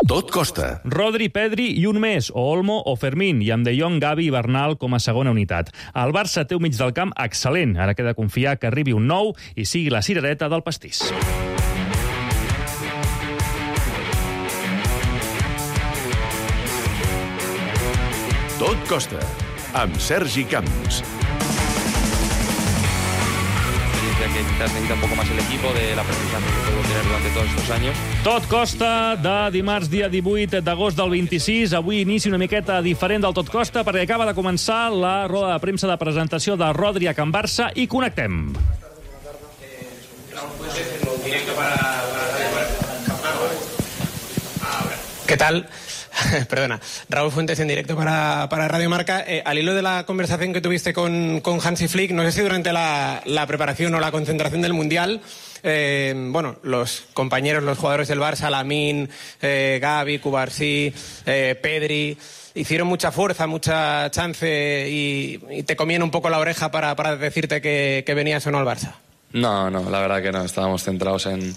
Tot costa. Rodri, Pedri i un més, o Olmo o Fermín, i amb De Jong, Gavi i Bernal com a segona unitat. El Barça té un mig del camp excel·lent. Ara queda confiar que arribi un nou i sigui la cirereta del pastís. Tot costa, amb Sergi Camps. Que quizás necesita un poco más el equipo de la aprendizaje que puedo tener durante todos estos años. Tot costa de dimarts, dia 18 d'agost del 26. Avui inici una miqueta diferent del Tot costa perquè acaba de començar la roda de premsa de presentació de Rodri a Can Barça i connectem. ¿Qué tal? Perdona, Raúl Fuentes en directo para Radio Marca. Al hilo de la conversación que tuviste con Hansi Flick, no sé si durante la preparación o la concentración del Mundial, los compañeros, los jugadores del Barça, Lamine, Gavi, Cubarsí, Pedri, hicieron mucha fuerza, mucha chance y te comían un poco la oreja para decirte que venías o no al Barça. No, la verdad que no, estábamos centrados en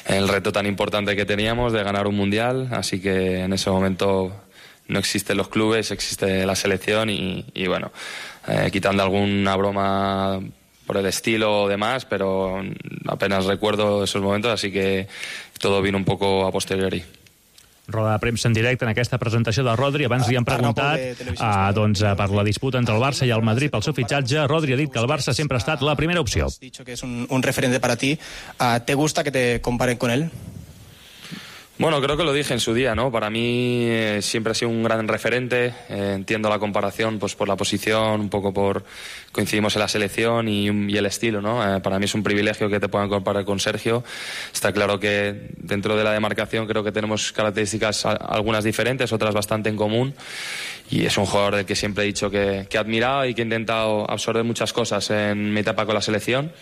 el reto tan importante que teníamos de ganar un mundial, así que en ese momento no existen los clubes, existe la selección y bueno, quitando alguna broma por el estilo o demás, pero apenas recuerdo esos momentos, así que todo vino un poco a posteriori. Roda de premsa en directe en aquesta presentació de Rodri. Abans li han preguntat per la disputa entre el Barça i el Madrid pel seu fitxatge. Rodri ha dit que el Barça sempre ha estat la primera opció. Has dicho que es un referente para ti. ¿Te gusta que te comparen con él? Bueno, creo que lo dije en su día, ¿no? Para mí siempre ha sido un gran referente. Entiendo la comparación pues por la posición, un poco por coincidimos en la selección y el estilo, ¿no? Para mí es un privilegio que te puedan comparar con Sergio. Está claro que dentro de la demarcación creo que tenemos características algunas diferentes, otras bastante en común. Y es un jugador del que siempre he dicho que he admirado y que he intentado absorber muchas cosas en mi etapa con la selección.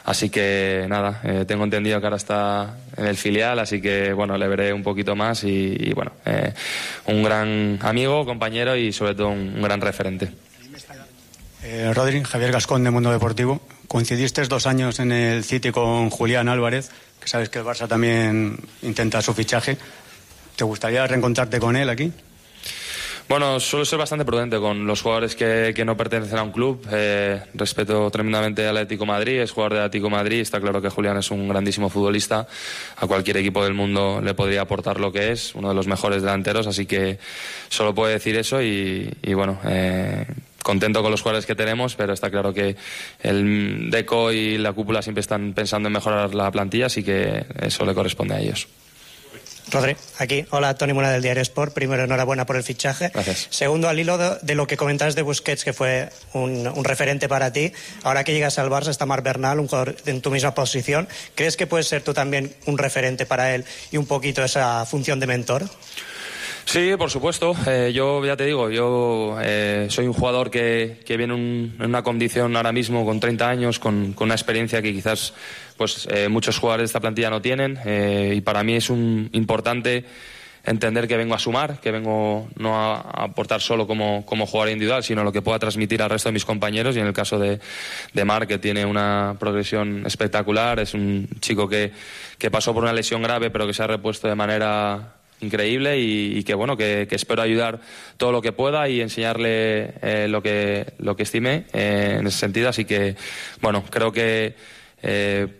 Así que nada, tengo entendido que ahora está en el filial, así que bueno, le veré un poquito más y bueno, un gran amigo, compañero y sobre todo un gran referente. Rodri, Javier Gascón de Mundo Deportivo. Coincidiste 2 años en el City con Julián Álvarez, que sabes que el Barça también intenta su fichaje. ¿Te gustaría reencontrarte con él aquí? Bueno, suelo ser bastante prudente con los jugadores que no pertenecen a un club. Respeto tremendamente al Atlético de Madrid, es jugador del Atlético de Madrid. Está claro que Julián es un grandísimo futbolista. A cualquier equipo del mundo le podría aportar lo que es, uno de los mejores delanteros. Así que solo puedo decir eso y bueno, contento con los jugadores que tenemos, pero está claro que el Deco y la cúpula siempre están pensando en mejorar la plantilla, así que eso le corresponde a ellos. Rodri, aquí. Hola, Toni Muna del Diario Sport. Primero, enhorabuena por el fichaje. Gracias. Segundo, al hilo de lo que comentabas de Busquets, que fue un referente para ti. Ahora que llegas al Barça está Marc Bernal, un jugador en tu misma posición. ¿Crees que puedes ser tú también un referente para él y un poquito esa función de mentor? Sí, por supuesto. Yo ya te digo, soy un jugador que viene en una condición ahora mismo con 30 años, con una experiencia que quizás muchos jugadores de esta plantilla no tienen, y para mí es importante entender que vengo a sumar, que vengo no a aportar solo como jugador individual, sino lo que pueda transmitir al resto de mis compañeros. Y en el caso de Marc, que tiene una progresión espectacular, es un chico que pasó por una lesión grave pero que se ha repuesto de manera increíble y que bueno, que espero ayudar todo lo que pueda y enseñarle lo que estime en ese sentido. Así que bueno, creo que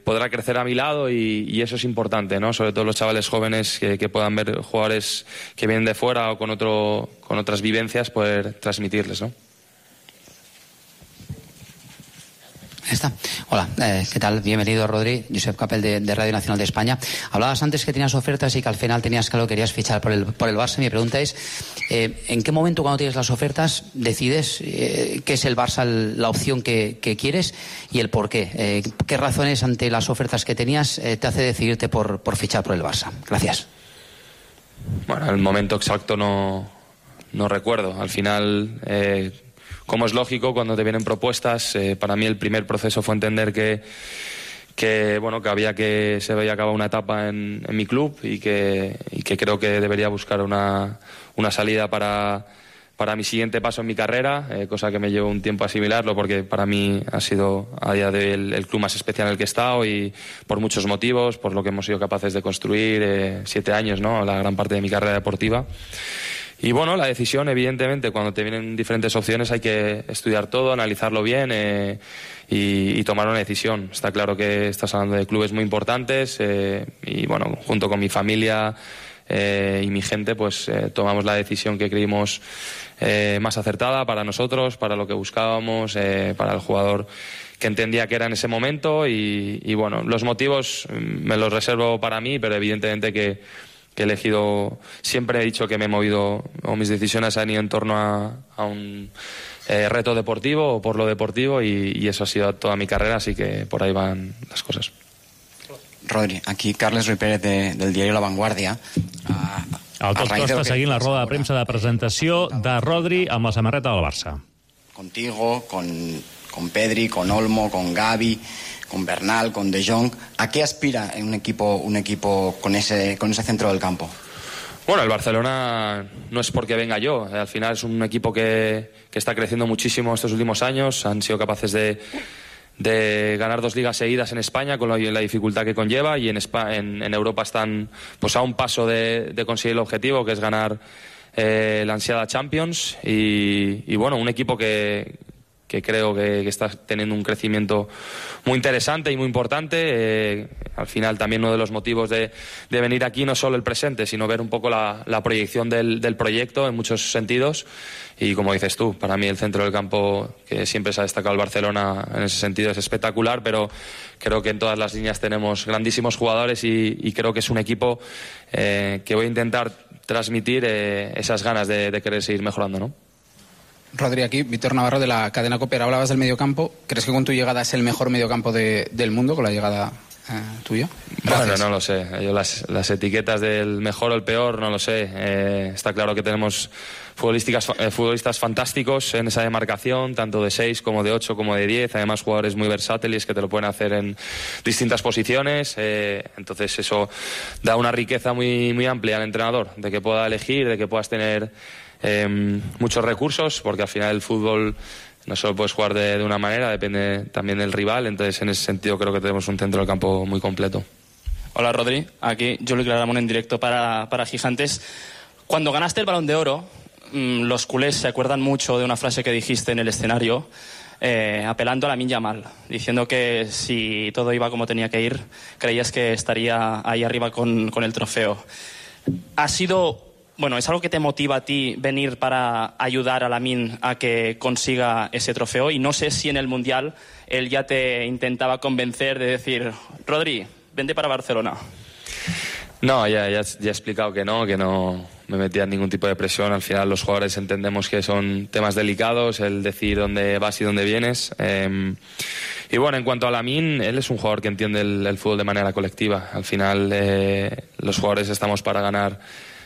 podrá crecer a mi lado y eso es importante, ¿no? Sobre todo los chavales jóvenes que puedan ver jugadores que vienen de fuera o con otras vivencias, poder transmitirles, ¿no? Está. Hola, ¿qué tal? Bienvenido, Rodri. Josep Capel de Radio Nacional de España. Hablabas antes que tenías ofertas y que al final tenías claro que querías fichar por el Barça. Mi pregunta es, ¿en qué momento cuando tienes las ofertas decides que es el Barça la opción que quieres y el por qué? ¿Qué razones ante las ofertas que tenías te hace decidirte por fichar por el Barça? Gracias. Bueno, el momento exacto no recuerdo. Al final, como es lógico, cuando te vienen propuestas, para mí el primer proceso fue entender que había que se había acabado una etapa en mi club y que creo que debería buscar una salida para para mi siguiente paso en mi carrera, cosa que me llevó un tiempo asimilarlo porque para mí ha sido a día de hoy el club más especial en el que he estado y por muchos motivos, por lo que hemos sido capaces de construir 7 años, ¿no? La gran parte de mi carrera deportiva. Y bueno, la decisión, evidentemente, cuando te vienen diferentes opciones hay que estudiar todo, analizarlo bien y tomar una decisión. Está claro que estás hablando de clubes muy importantes y bueno, junto con mi familia y mi gente, pues tomamos la decisión que creímos más acertada para nosotros, para lo que buscábamos, para el jugador que entendía que era en ese momento y bueno, los motivos me los reservo para mí, pero evidentemente que he elegido, siempre he dicho que me he movido, o mis decisiones han ido en torno a un reto deportivo o por lo deportivo y eso ha sido toda mi carrera, así que por ahí van las cosas. Rodri, aquí Carles Ruiz Pérez del diario La Vanguardia. El Tot Costa seguint la roda de premsa de presentació de Rodri amb la samarreta del Barça. Contigo, con Pedri, con Olmo, con Gavi, con Bernal, con De Jong. ¿A qué aspira en un equipo con ese centro del campo? Bueno, el Barcelona no es porque venga yo. Al final es un equipo que está creciendo muchísimo estos últimos años. Han sido capaces de ganar 2 ligas seguidas en España con la dificultad que conlleva y en Europa están pues a un paso de conseguir el objetivo, que es ganar la ansiada Champions y bueno, un equipo que creo que está teniendo un crecimiento muy interesante y muy importante. Al final también uno de los motivos de venir aquí no solo el presente, sino ver un poco la proyección del proyecto en muchos sentidos. Y como dices tú, para mí el centro del campo, que siempre se ha destacado el Barcelona en ese sentido, es espectacular, pero creo que en todas las líneas tenemos grandísimos jugadores y creo que es un equipo que voy a intentar transmitir esas ganas de querer seguir mejorando, ¿no? Rodri, aquí, Víctor Navarro de la cadena COPE. Hablabas del mediocampo. ¿Crees que con tu llegada es el mejor mediocampo del mundo, con la llegada tuya? Gracias. Bueno, no lo sé. Yo las etiquetas del mejor o el peor, no lo sé. Está claro que tenemos futbolistas fantásticos en esa demarcación, tanto de 6 como de 8 como de 10. Además, jugadores muy versátiles que te lo pueden hacer en distintas posiciones. Entonces, eso da una riqueza muy, muy amplia al entrenador, de que pueda elegir, de que puedas tener muchos recursos, porque al final el fútbol no solo puedes jugar de una manera, depende también del rival. Entonces en ese sentido creo que tenemos un centro del campo muy completo. Hola Rodri, aquí Juli Claramunt en directo para Gigantes. Cuando ganaste el Balón de Oro, los culés se acuerdan mucho de una frase que dijiste en el escenario, apelando a Lamine Yamal, diciendo que si todo iba como tenía que ir, creías que estaría ahí arriba con el trofeo. ¿Es algo que te motiva a ti venir para ayudar a Lamine a que consiga ese trofeo? Y no sé si en el Mundial él ya te intentaba convencer de decir, Rodri, vente para Barcelona. No, ya he explicado que no me metía en ningún tipo de presión. Al final los jugadores entendemos que son temas delicados, el decir dónde vas y dónde vienes. Y bueno, en cuanto a Lamine, él es un jugador que entiende el fútbol de manera colectiva. Al final los jugadores estamos para ganar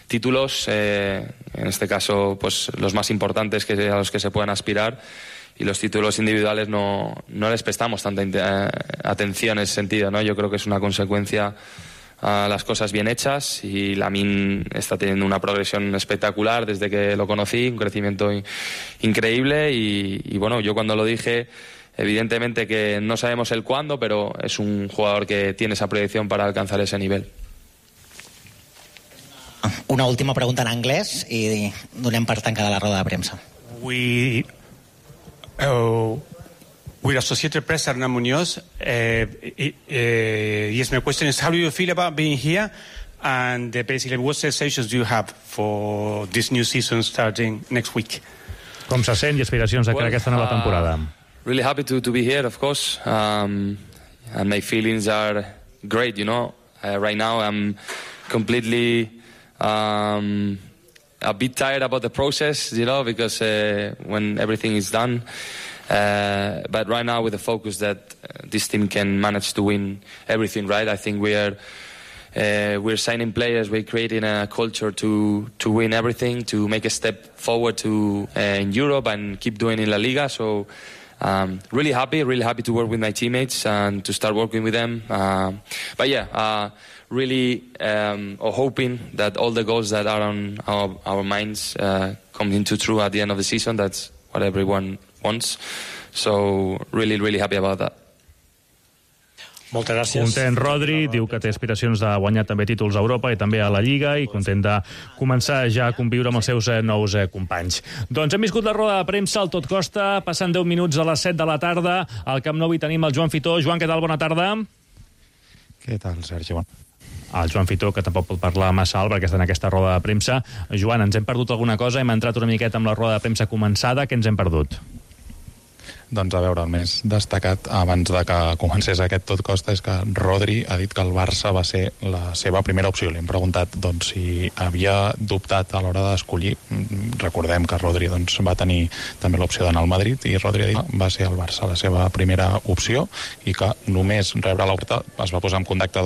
títulos, en este caso pues los más importantes a los que se puedan aspirar, y los títulos individuales no les prestamos tanta atención en ese sentido, ¿no? Yo creo que es una consecuencia a las cosas bien hechas y Lamine está teniendo una progresión espectacular desde que lo conocí, un crecimiento increíble y bueno, yo cuando lo dije, evidentemente que no sabemos el cuándo, pero es un jugador que tiene esa proyección para alcanzar ese nivel. Una última pregunta en anglès i donem per tancada la roda de premsa. With Associated Press, Hernán Muñoz, yes, my question is, how do you feel about being here? And basically, what sensations do you have for this new season starting next week? Com se sent i aspiracions de cara a aquesta nova temporada? Really happy to be here, of course. And my feelings are great, you know. Right now I'm completely a bit tired about the process, you know, because when everything is done. But right now with the focus that this team can manage to win everything, right? I think we're signing players, we're creating a culture to win everything, to make a step forward in Europe and keep doing in La Liga. So really happy to work with my teammates and to start working with them. Really hoping that all the goals that are on our minds come into true at the end of the season. That's what everyone wants. So really happy about that. Moltes gràcies. Content Rodri, diu que té aspiracions de guanyar també títols a Europa i també a la Lliga i content de començar ja a conviure amb els seus nous companys. Doncs hem viscut la roda de premsa al Tot Costa, passant 10 minuts a les 7 de la tarda. Al Camp Nou hi tenim el Joan Fitó. Joan, què tal? Bona tarda. Què tal, Sergi? El Joan Fitó, que tampoc pot parlar massa alt perquè està en aquesta roda de premsa. Joan, ens hem perdut alguna cosa? Hem entrat una miqueta amb la roda de premsa començada. Què ens hem perdut? Doncs a veure, el més destacat abans de que comencés aquest Tot Costa és que Rodri ha dit que el Barça va ser la seva primera opció. Li hem preguntat si havia dubtat a l'hora d'escollir. Recordem que Rodri va tenir també l'opció d'anar al Madrid i Rodri ha dit que va ser el Barça la seva primera opció i que només rebre l'oferta es va posar en contacte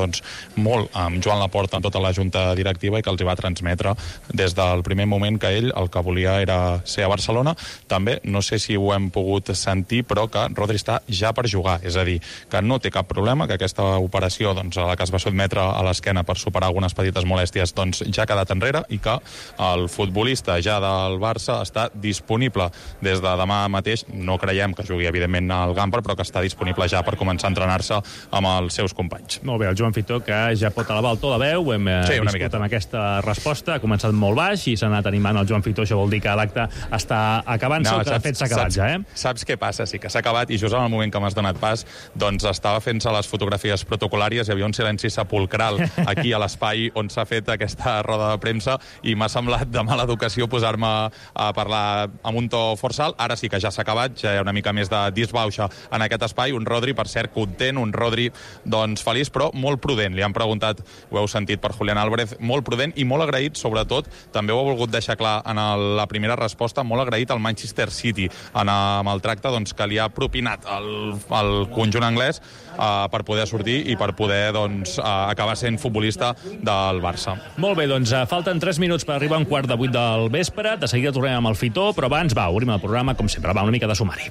molt amb Joan Laporta, amb tota la junta directiva, i que els hi va transmetre des del primer moment que ell el que volia era ser a Barcelona. També, no sé si ho hem pogut sentir, però que Rodri està ja per jugar, és a dir, que no té cap problema, que aquesta operació a la que es va sotmetre a l'esquena per superar algunes petites molèsties ja ha quedat enrere i que el futbolista ja del Barça està disponible des de demà mateix. No creiem que jugui evidentment al Gamper, però que està disponible ja per començar a entrenar-se amb els seus companys. Molt bé, el Joan Fitó, que ja pot elevar el to de veu, hem viscut amb aquesta resposta, ha començat molt baix i s'ha anat animant el Joan Fitó. Això vol dir que l'acte està acabant-se, que de fet s'ha acabat ja, Saps què passa? Sí que s'ha acabat i just en el moment que m'has donat pas estava fent-se les fotografies protocolàries, hi havia un silenci sepulcral aquí a l'espai on s'ha fet aquesta roda de premsa i m'ha semblat de mala educació posar-me a parlar amb un to forçal. Ara sí que ja s'ha acabat, ja hi ha una mica més de disbauxa en aquest espai. Un Rodri, per cert, content, un Rodri feliç, però molt prudent. Li han preguntat, ho heu sentit per Julián Álvarez, molt prudent i molt agraït, sobretot, també ho ha volgut deixar clar en la primera resposta, molt agraït al Manchester City amb el tracte que li ha propinat el conjunt anglès per poder sortir i per poder acabar sent futbolista del Barça. Molt bé, falten 3 minuts per arribar a 7:15 del vespre. De seguida tornem amb el Fitó, però abans obrim el programa, com sempre, una mica de sumari.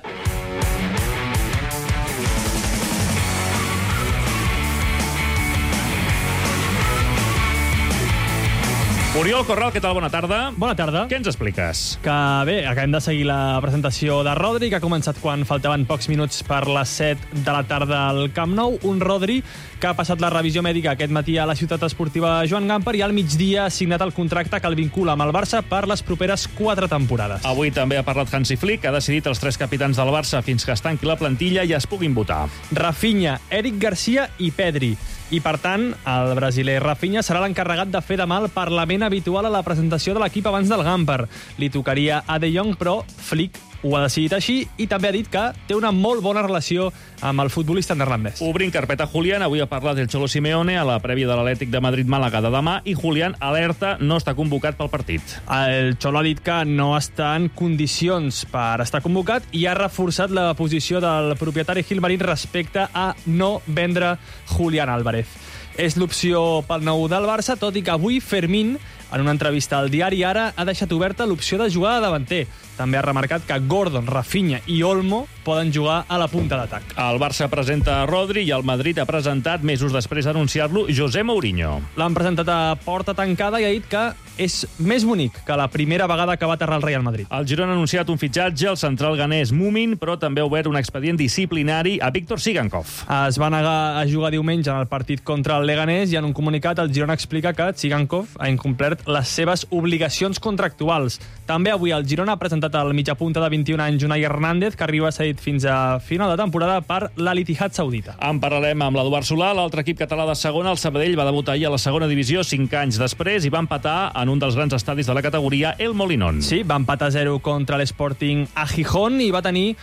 Oriol Corral, què tal? Bona tarda. Bona tarda. Què ens expliques? Que bé, acabem de seguir la presentació de Rodri, que ha començat quan faltaven pocs minuts per les 7 de la tarda al Camp Nou. Un Rodri que ha passat la revisió mèdica aquest matí a la ciutat esportiva Joan Gamper i al migdia ha signat el contracte que el vincula amb el Barça per les properes 4 temporades. Avui també ha parlat Hansi Flick, que ha decidit els 3 capitans del Barça fins que es tanqui la plantilla i es puguin votar. Rafinha, Eric Garcia i Pedri. I, per tant, el brasiler Rafinha serà l'encarregat de fer demà el Parlament habitual a la presentació de l'equip abans del Gamper. Li tocaria a De Jong, però Flick ho ha decidit així i també ha dit que té una molt bona relació amb el futbolista neerlandès. Obrim carpeta Julián. Avui ha parlat el Cholo Simeone a la prèvia de l'Atlètic de Madrid-Màlaga de demà i Julián alerta, no està convocat pel partit. El Cholo ha dit que no està en condicions per estar convocat i ha reforçat la posició del propietari Gilmarín respecte a no vendre Julián Álvarez. És l'opció pel nou del Barça, tot i que avui Fermín, en una entrevista al diari Ara, ha deixat oberta l'opció de jugar de davanter. També ha remarcat que Gordon, Rafinha i Olmo poden jugar a la punta d'atac. El Barça presenta a Rodri i el Madrid ha presentat, mesos després d'anunciar-lo, José Mourinho. L'han presentat a porta tancada i ha dit que és més bonic que la primera vegada que va aterrar el Real Madrid. El Girona ha anunciat un fitxatge, el central ganès Mumin, però també ha obert un expedient disciplinari a Víctor Tsigankov. Es va negar a jugar diumenge en el partit contra el Leganés i en un comunicat el Girona explica que Tsigankov ha incomplert les seves obligacions contractuals. També avui el Girona ha presentat el mitjapunta de 21 anys Unai Hernández, que arriba cedit fins a final de temporada per l'Al-Ittihad saudita. En parlarem amb l'Eduard Solà, l'altre equip català de segona. El Sabadell va debutar ahir a la segona divisió 5 anys després i va empatar en un dels grans estadis de la categoria, el Molinón. Sí, va empatar 0 contra l'Sporting a Gijón i va tenir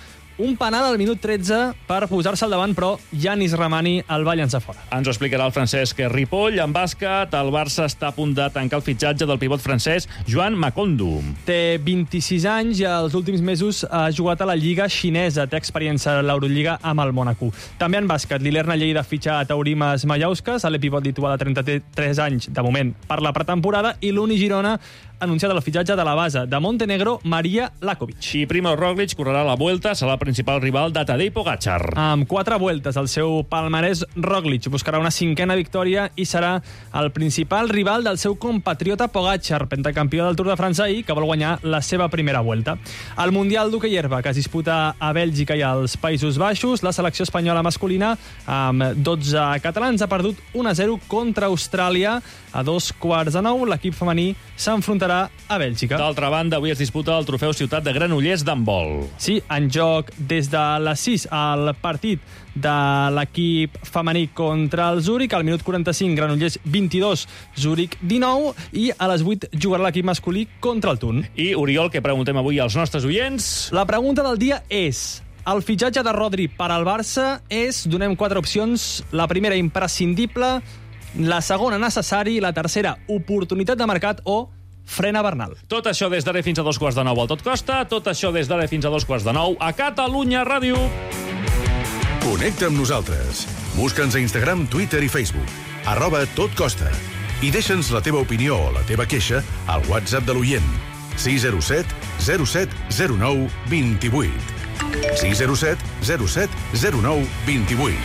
un penal al minut 13 per posar-se al davant, però Yanis Ramani el va llançar fora. Ens ho explicarà el Francesc Ripoll. En bàsquet, el Barça està a punt de tancar el fitxatge del pivot francès Joan Makondo. Té 26 anys i els últims mesos ha jugat a la Lliga xinesa. Té experiència a l'Eurolliga amb el Mónaco. També en bàsquet, l'Ilerna Lleida fitxa a Taurimas Mallauskas, a l'epivot lituà de 33 anys, de moment, per la pretemporada, i l'Uni Girona anunciat el fitxatge de la base de Montenegro, Maria Lakovic. I Primož Roglič correrà la Vuelta, serà el principal rival de Tadej Pogačar. Amb 4 vueltes al seu palmarès, Roglič buscarà una 5a victòria i serà el principal rival del seu compatriota Pogačar, pentacampió del Tour de França ahir, que vol guanyar la seva primera Vuelta. Al Mundial d'Hoquei Herba, que es disputa a Bèlgica i als Països Baixos, la selecció espanyola masculina, amb 12 catalans, ha perdut 1-0 contra Austràlia. A 8:45, l'equip femení s'enfrontarà a Bèlgica. D'altra banda, avui es disputa el trofeu Ciutat de Granollers d'handbol. Sí, en joc des de les 6 al partit de l'equip femení contra el Zúrich. Al minut 45, Granollers 22, Zúrich 19, i a les 8 jugarà l'equip masculí contra el Thun. I, Oriol, què preguntem avui als nostres oients? La pregunta del dia és: el fitxatge de Rodri per al Barça és, donem 4 opcions, la primera, imprescindible, la segona, necessari, la tercera, oportunitat de mercat, o frena Bernal. Tot això des d'ara fins a 8:45 al Tot Costa, tot això des d'ara fins a 2:45 a Catalunya Ràdio. Connecta amb nosaltres. Busca'ns a Instagram, Twitter i Facebook. @totcosta. I deixa'ns la teva opinió o la teva queixa al WhatsApp de l'oient. 607 07 09 28. 607 07 09 28.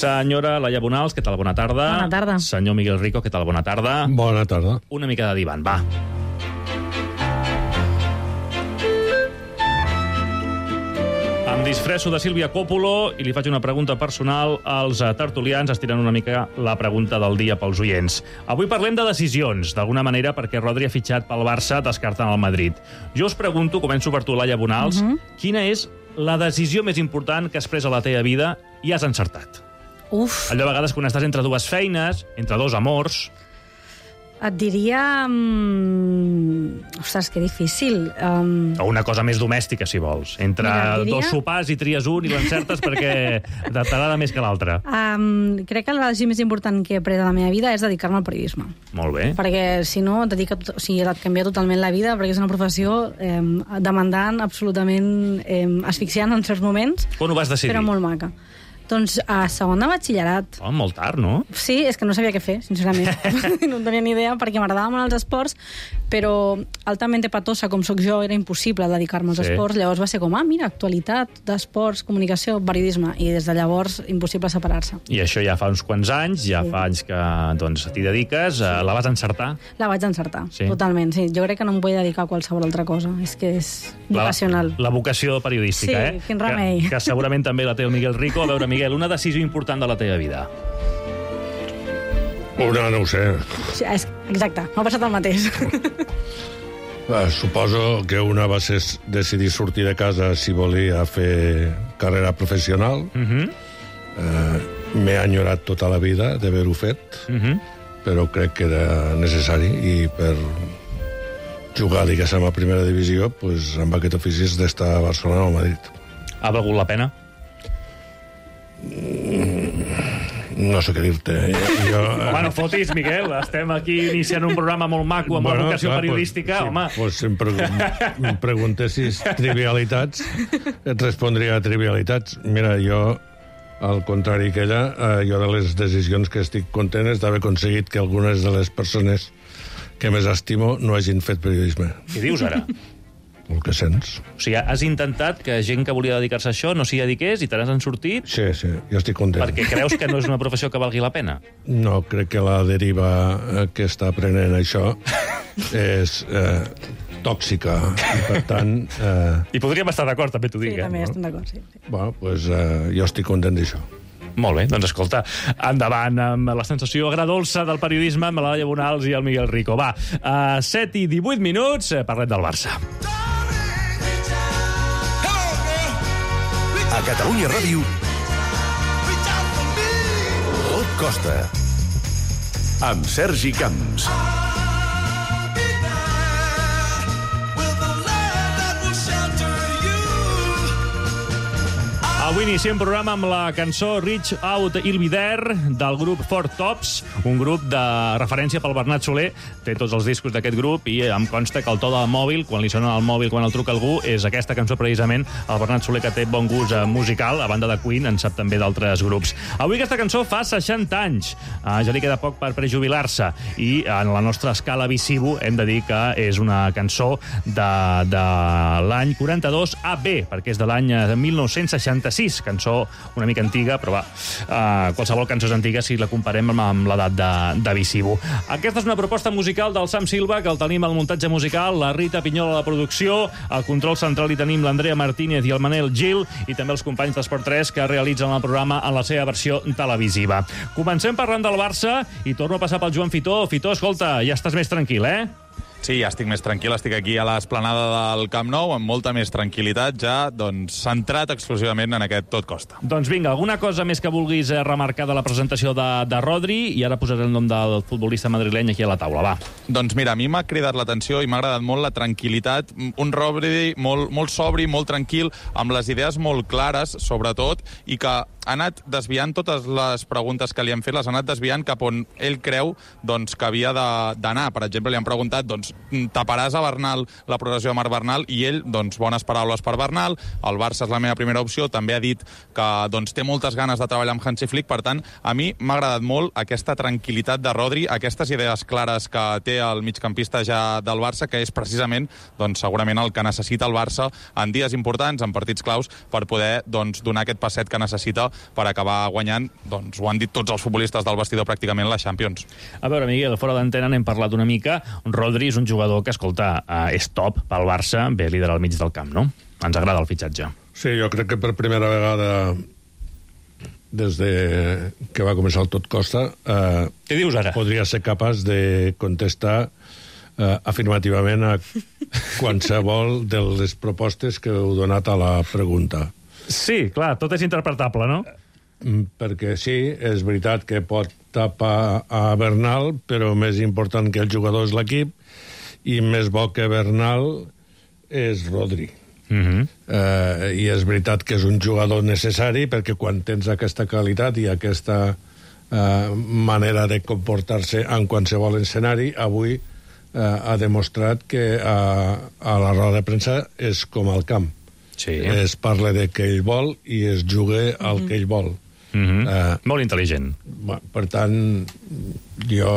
Senyora Laia Bonals, què tal? Bona tarda. Bona tarda. Senyor Miguel Rico, què tal? Bona tarda. Bona tarda. Una mica de divan, va. Em disfresso de Sílvia Coppolo i li faig una pregunta personal als tertulians, estirant una mica la pregunta del dia pels oients. Avui parlem de decisions, d'alguna manera, perquè Rodri ha fitxat pel Barça descartant el Madrid. Jo us pregunto, començo per tu, Laia Bonals, quina és la decisió més important que has pres a la teva vida i has encertat? Uf. Allò a vegades quan estàs entre dues feines, entre dos amors... Et diria... Ostres, que difícil. O una cosa més domèstica, si vols. Entre dos sopars i tries un i l'encertes perquè t'agrada més que l'altre. Crec que la decisió més important que he pres a la meva vida és dedicar-me al periodisme. Molt bé. Perquè, si no, et canvia totalment la vida, perquè és una professió demandant, absolutament asfixiant en certs moments. Quan ho vas decidir? Però molt maca. Doncs a segon de batxillerat. Oh, molt tard, no? Sí, és que no sabia què fer, sincerament. No en tenia ni idea, perquè m'agradaven molt els esports, però altament patosa, com sóc jo, era impossible dedicar-me als esports. Llavors va ser com, mira, actualitat, d'esports, comunicació, periodisme. I des de llavors, impossible separar-se. I això ja fa uns quants anys, ja fa anys que t'hi dediques. La vas encertar? La vaig encertar, totalment, sí. Jo crec que no em vull dedicar a qualsevol altra cosa. És que és vocacional. La vocació periodística, sí, quin remei. Que segurament també la té el Miguel Rico. A veure, Miguel, una decisió important de la teva vida. No ho sé. Sí, exacte, m'ha passat el mateix. Suposo que una va ser decidir sortir de casa si volia fer carrera professional. M'he enyorat tota la vida d'haver-ho fet, però crec que era necessari, i per jugar, diguéssim, a primera divisió, doncs, amb aquest ofici és d'estar a Barcelona o a Madrid. Ha valgut la pena? No sé què dir-te. Home, no fotis, Miguel. Estem aquí iniciant un programa molt maco amb la vocació periodística. Home. Si em preguntessis trivialitats, et respondria a trivialitats. Mira, jo, al contrari que ella, jo de les decisions que estic content és d'haver aconseguit que algunes de les persones que més estimo no hagin fet periodisme. Què dius ara? El que sents. O sigui, has intentat que gent que volia dedicar-se a això no s'hi dediqués i te n'has sortit? Sí, jo estic content. Perquè creus que no és una professió que valgui la pena? No, crec que la deriva que està prenent això és tòxica. I, per tant... I podríem estar d'acord, també t'ho dic. Sí, també estem d'acord, sí. Bueno, doncs jo estic content d'això. Molt bé, doncs escolta, endavant amb la sensació agradolça del periodisme amb la Laia Bonals i el Miguel Rico. Va, 7 i 18 minuts, parlem del Barça. A Catalunya Ràdio, Tot Costa, amb Sergi Camps. El Avui iniciem programa amb la cançó Reach Out I'll Be There del grup Four Tops, un grup de referència pel Bernat Soler. Té tots els discos d'aquest grup i em consta que el to del mòbil, quan li sona al mòbil, quan el truca algú, és aquesta cançó precisament. El Bernat Soler, que té bon gust musical, a banda de Queen, en sap també d'altres grups. Avui aquesta cançó fa 60 anys. Ja li queda poc per prejubilar-se i en la nostra escala Visivo hem de dir que és una cançó de l'any 42 AB, perquè és de l'any 1966, cançó una mica antiga, però va, qualsevol cançó és antiga si la comparem amb l'edat de Visivo. Aquesta és una proposta musical del Sam Silva, que el tenim al muntatge musical, la Rita Pinyola a la producció, al control central hi tenim l'Andrea Martínez i el Manel Gil, i també els companys d'Esport 3 que realitzen el programa en la seva versió televisiva. Comencem parlant del Barça i torno a passar pel Joan Fitó. Fitó, escolta, ja estàs més tranquil, eh? Sí, ja estic més tranquil, estic aquí a l'esplanada del Camp Nou, amb molta més tranquil·litat, ja centrat exclusivament en aquest tot costa. Doncs vinga, alguna cosa més que vulguis remarcar de la presentació de Rodri, i ara posaré el nom del futbolista madrileny aquí a la taula, va. Doncs mira, a mi m'ha cridat l'atenció i m'ha agradat molt la tranquil·litat, un Rodri molt sobri, molt tranquil, amb les idees molt clares, sobretot, i que ha anat desviant totes les preguntes que li han fet, les ha anat desviant cap on ell creu que havia d'anar. Per exemple, li han preguntat, taparàs a Bernal la progressió de Marc Bernal? I ell, bones paraules per Bernal, el Barça és la meva primera opció, també ha dit que té moltes ganes de treballar amb Hansi Flick, per tant, a mi m'ha agradat molt aquesta tranquil·litat de Rodri, aquestes idees clares que té el migcampista ja del Barça, que és precisament, segurament el que necessita el Barça en dies importants, en partits claus, per poder donar aquest passet que necessita per acabar guanyant, ho han dit tots els futbolistes del vestidor pràcticament, la Champions. A veure, Miguel, fora d'antena n'hem parlat una mica. Rodri és un jugador que, escolta, és top pel Barça, ve líder al mig del camp, no? Ens agrada el fitxatge. Sí, jo crec que per primera vegada des de que va començar el tot costa què dius ara? Podria ser capaç de contestar afirmativament a qualsevol de les propostes que heu donat a la pregunta. Sí, clar, tot és interpretable, no? Perquè sí, és veritat que pot tapar a Bernal, però més important que el jugador és l'equip, i més bo que Bernal és Rodri. I és veritat que és un jugador necessari, perquè quan tens aquesta qualitat i aquesta manera de comportar-se en qualsevol escenari, avui ha demostrat que a la roda de premsa és com al camp. Sí. Es parla de que ell vol i es juga el que ell vol. Molt intel·ligent. Per tant, jo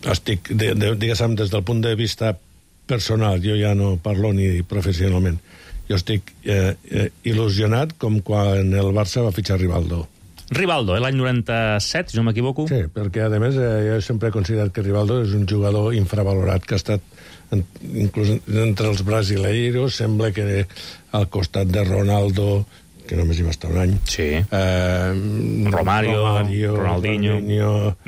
estic, diguéssim, des del punt de vista personal, jo ja no parlo ni professionalment, jo estic il·lusionat com quan el Barça va fitxar Rivaldo. Rivaldo, l'any 97, si no m'equivoco? Sí, perquè a més jo sempre he considerat que Rivaldo és un jugador infravalorat, que ha estat inclús entre els brasileiros, sembla que al costat de Ronaldo, que només hi va estar un any, sí. Romario, Ronaldinho,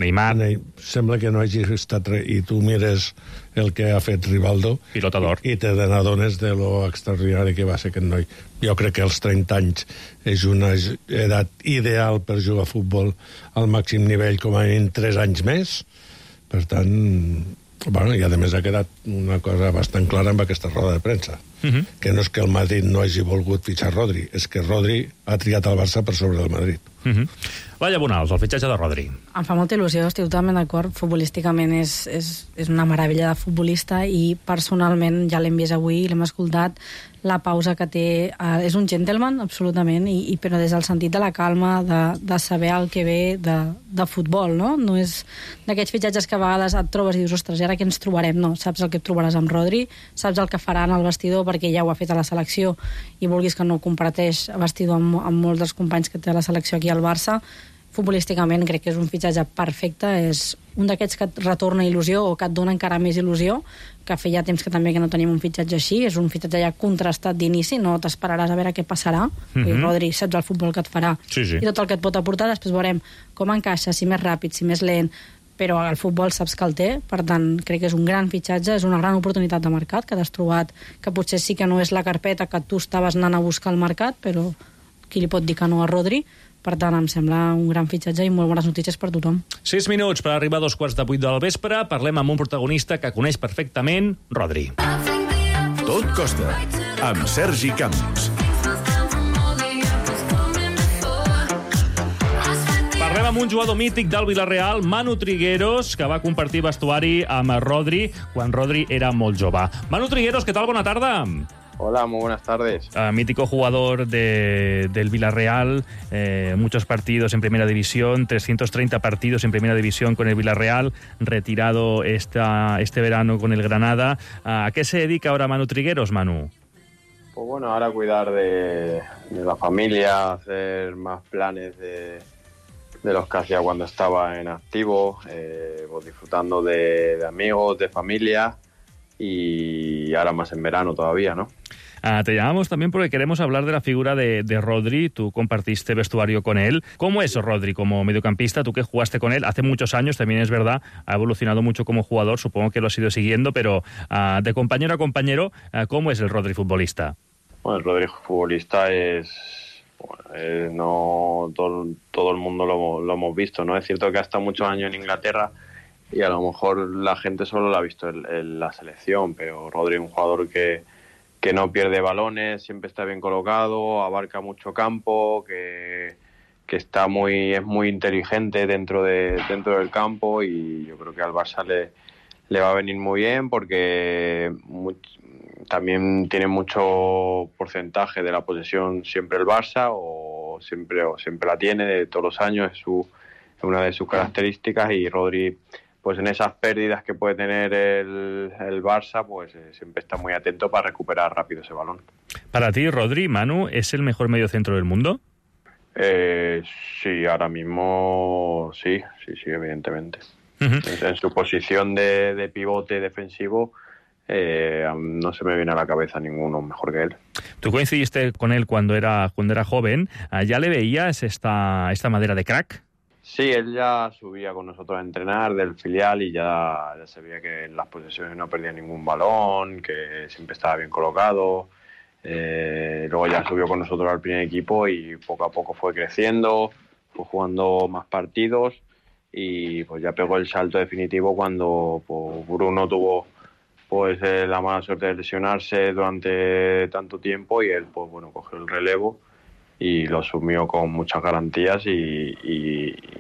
Neymar, sembla que no hagi estat res, i tu mires el que ha fet Rivaldo pilota d'or, i te n'adones de lo extraordinari que va ser aquest noi. Jo crec que els 30 anys és una edat ideal per jugar a futbol al màxim nivell, com a mínim 3 anys més. Per tant, i a més ha quedat una cosa bastant clara amb aquesta roda de premsa, que no és que el Madrid no hagi volgut fitxar Rodri, és que Rodri ha triat el Barça per sobre del Madrid. Laia Bonals, el fitxatge de Rodri. Em fa molta il·lusió, estic totalment d'acord. Futbolísticament és una meravella de futbolista, i personalment ja l'hem vist avui, l'hem escoltat, la pausa que té, és un gentleman absolutament, però des del sentit de la calma, de saber el que ve de futbol, no? No és d'aquests fitxatges que a vegades et trobes i dius, ostres, ara què ens trobarem? No, saps el que et trobaràs amb Rodri, saps el que farà en el vestidor, perquè ja ho ha fet a la selecció, i vulguis que no comparteix vestidor amb molts dels companys que té a la selecció aquí al Barça. Futbolísticament crec que és un fitxatge perfecte, és un d'aquests que et retorna il·lusió o que et dona encara més il·lusió, que feia temps que també que no tenim un fitxatge així. És un fitxatge ja contrastat d'inici, no t'esperaràs a veure què passarà. I Rodri, saps el futbol que et farà i tot el que et pot aportar, després veurem com encaixa, si més ràpid, si més lent, però el futbol saps que el té, per tant crec que és un gran fitxatge, és una gran oportunitat de mercat que t'has trobat, que potser sí que no és la carpeta que tu estaves anant a buscar al mercat, però qui li pot dir que no a Rodri? Per tant, em sembla un gran fitxatge i molt bones notícies per tothom. 6 minuts per arribar a 7:45 del vespre. Parlem amb un protagonista que coneix perfectament Rodri. Tot costa, amb Sergi Camps. Parlem amb un jugador mític del Villarreal, Manu Trigueros, que va compartir vestuari amb Rodri quan Rodri era molt jove. Manu Trigueros, ¿qué tal? Bona tarda. Hola, muy buenas tardes. Mítico jugador del Villarreal, muchos partidos en Primera División, 330 partidos en Primera División con el Villarreal, retirado este verano con el Granada. ¿A qué se dedica ahora Manu Trigueros, Manu? Pues bueno, ahora cuidar de la familia, hacer más planes de los que hacía cuando estaba en activo, pues disfrutando de amigos, de familia y ahora más en verano todavía, ¿no? Te llamamos también porque queremos hablar de la figura de Rodri. Tú compartiste vestuario con él. ¿Cómo es Rodri como mediocampista? Tú que jugaste con él hace muchos años, también es verdad, ha evolucionado mucho como jugador, supongo que lo has ido siguiendo, pero de compañero a compañero, ¿cómo es el Rodri futbolista? Bueno, el Rodri futbolista no todo el mundo lo hemos visto, ¿no? Es cierto que ha estado muchos años en Inglaterra y a lo mejor la gente solo lo ha visto en la selección, pero Rodri es un jugador que no pierde balones, siempre está bien colocado, abarca mucho campo, que es muy inteligente dentro del campo, y yo creo que al Barça le va a venir muy bien porque también tiene mucho porcentaje de la posesión siempre el Barça, o siempre la tiene de todos los años, es una de sus características, y Rodri, pues en esas pérdidas que puede tener el Barça, pues siempre está muy atento para recuperar rápido ese balón. Para ti, Rodri, Manu, ¿es el mejor mediocentro del mundo? Sí, ahora mismo sí, evidentemente. En su posición de pivote defensivo, no se me viene a la cabeza ninguno mejor que él. Tú coincidiste con él cuando era joven. ¿Ya le veías esta madera de crack? Sí, él ya subía con nosotros a entrenar del filial y ya se veía que en las posesiones no perdía ningún balón, que siempre estaba bien colocado. Luego ya subió con nosotros al primer equipo y poco a poco fue creciendo, fue jugando más partidos y pues ya pegó el salto definitivo cuando pues, Bruno tuvo pues la mala suerte de lesionarse durante tanto tiempo, y él pues bueno cogió el relevo y lo asumió con muchas garantías y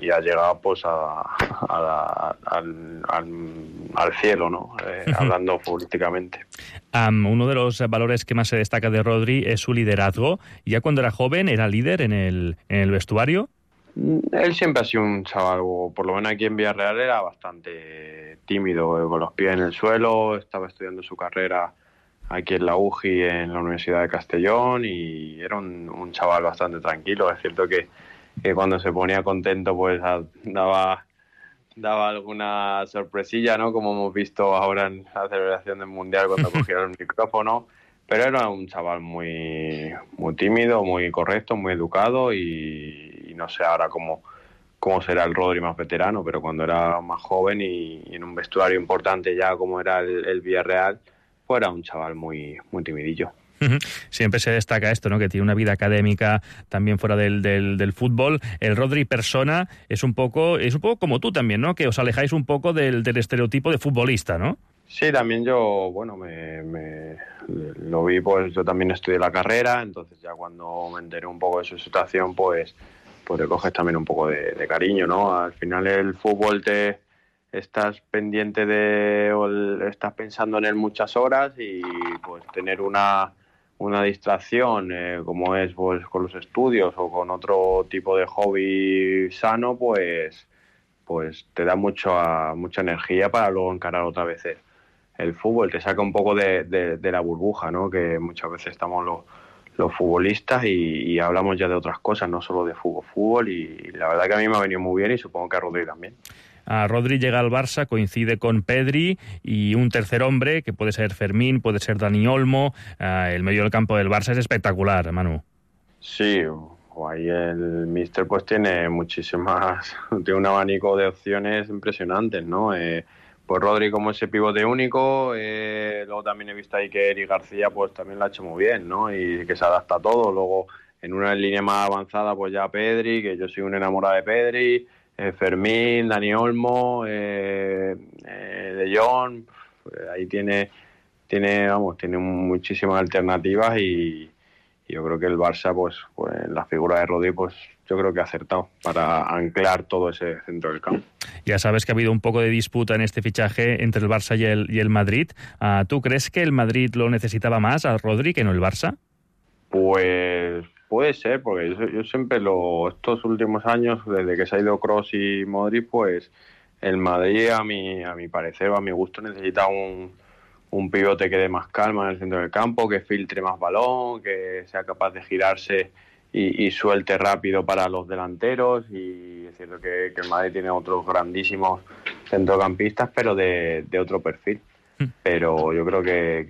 ha llegado pues al cielo, ¿no? Hablando futbolísticamente. Uno de los valores que más se destaca de Rodri es su liderazgo. Ya cuando era joven, ¿era líder en el vestuario? Él siempre ha sido un chaval, por lo menos aquí en Villarreal era bastante tímido, con los pies en el suelo, estaba estudiando su carrera aquí en la UGI, en la Universidad de Castellón, y era un chaval bastante tranquilo. Es cierto que cuando se ponía contento pues daba alguna sorpresilla, ¿no? Como hemos visto ahora en la celebración del Mundial cuando cogía el micrófono, pero era un chaval muy tímido, muy correcto, muy educado, y no sé ahora cómo será el Rodri más veterano, pero cuando era más joven y en un vestuario importante ya como era el Villarreal, pues era un chaval muy timidillo. Siempre se destaca esto, ¿no? Que tiene una vida académica también fuera del fútbol. El Rodri persona es un poco como tú también, ¿no? Que os alejáis un poco del estereotipo de futbolista, ¿no? Sí, también yo, bueno, lo vi, pues yo también estudié la carrera, entonces ya cuando me enteré un poco de su situación, pues le coges también un poco de cariño, ¿no? Al final el fútbol estás pendiente estás pensando en él muchas horas, y pues tener una distracción como es pues con los estudios o con otro tipo de hobby sano, pues te da mucha energía para luego encarar otra vez el fútbol, te saca un poco de la burbuja, ¿no? Que muchas veces estamos los futbolistas y hablamos ya de otras cosas, no solo de fútbol, y la verdad que a mí me ha venido muy bien, y supongo que a Rodri también. Rodri llega al Barça, coincide con Pedri y un tercer hombre, que puede ser Fermín, puede ser Dani Olmo. El medio del campo del Barça es espectacular, Manu. Sí, ahí el míster pues tiene tiene un abanico de opciones impresionantes, ¿no? Pues Rodri como ese pivote único, luego también he visto ahí que Eric García pues también lo ha hecho muy bien, ¿no? Y que se adapta a todo. Luego en una línea más avanzada pues ya Pedri, que yo soy un enamorado de Pedri, Fermín, Dani Olmo, De Jong, ahí tiene muchísimas alternativas, y yo creo que el Barça, pues la figura de Rodri, pues yo creo que ha acertado para anclar todo ese centro del campo. Ya sabes que ha habido un poco de disputa en este fichaje entre el Barça y el Madrid. ¿Tú crees que el Madrid lo necesitaba más a Rodri que no el Barça? Pues puede ser, porque yo siempre estos últimos años, desde que se ha ido Kroos y Modric, pues el Madrid, a mi parecer o a mi gusto, necesita un pivote que dé más calma en el centro del campo, que filtre más balón, que sea capaz de girarse y suelte rápido para los delanteros. Y es cierto que el Madrid tiene otros grandísimos centrocampistas, pero de otro perfil. Pero yo creo que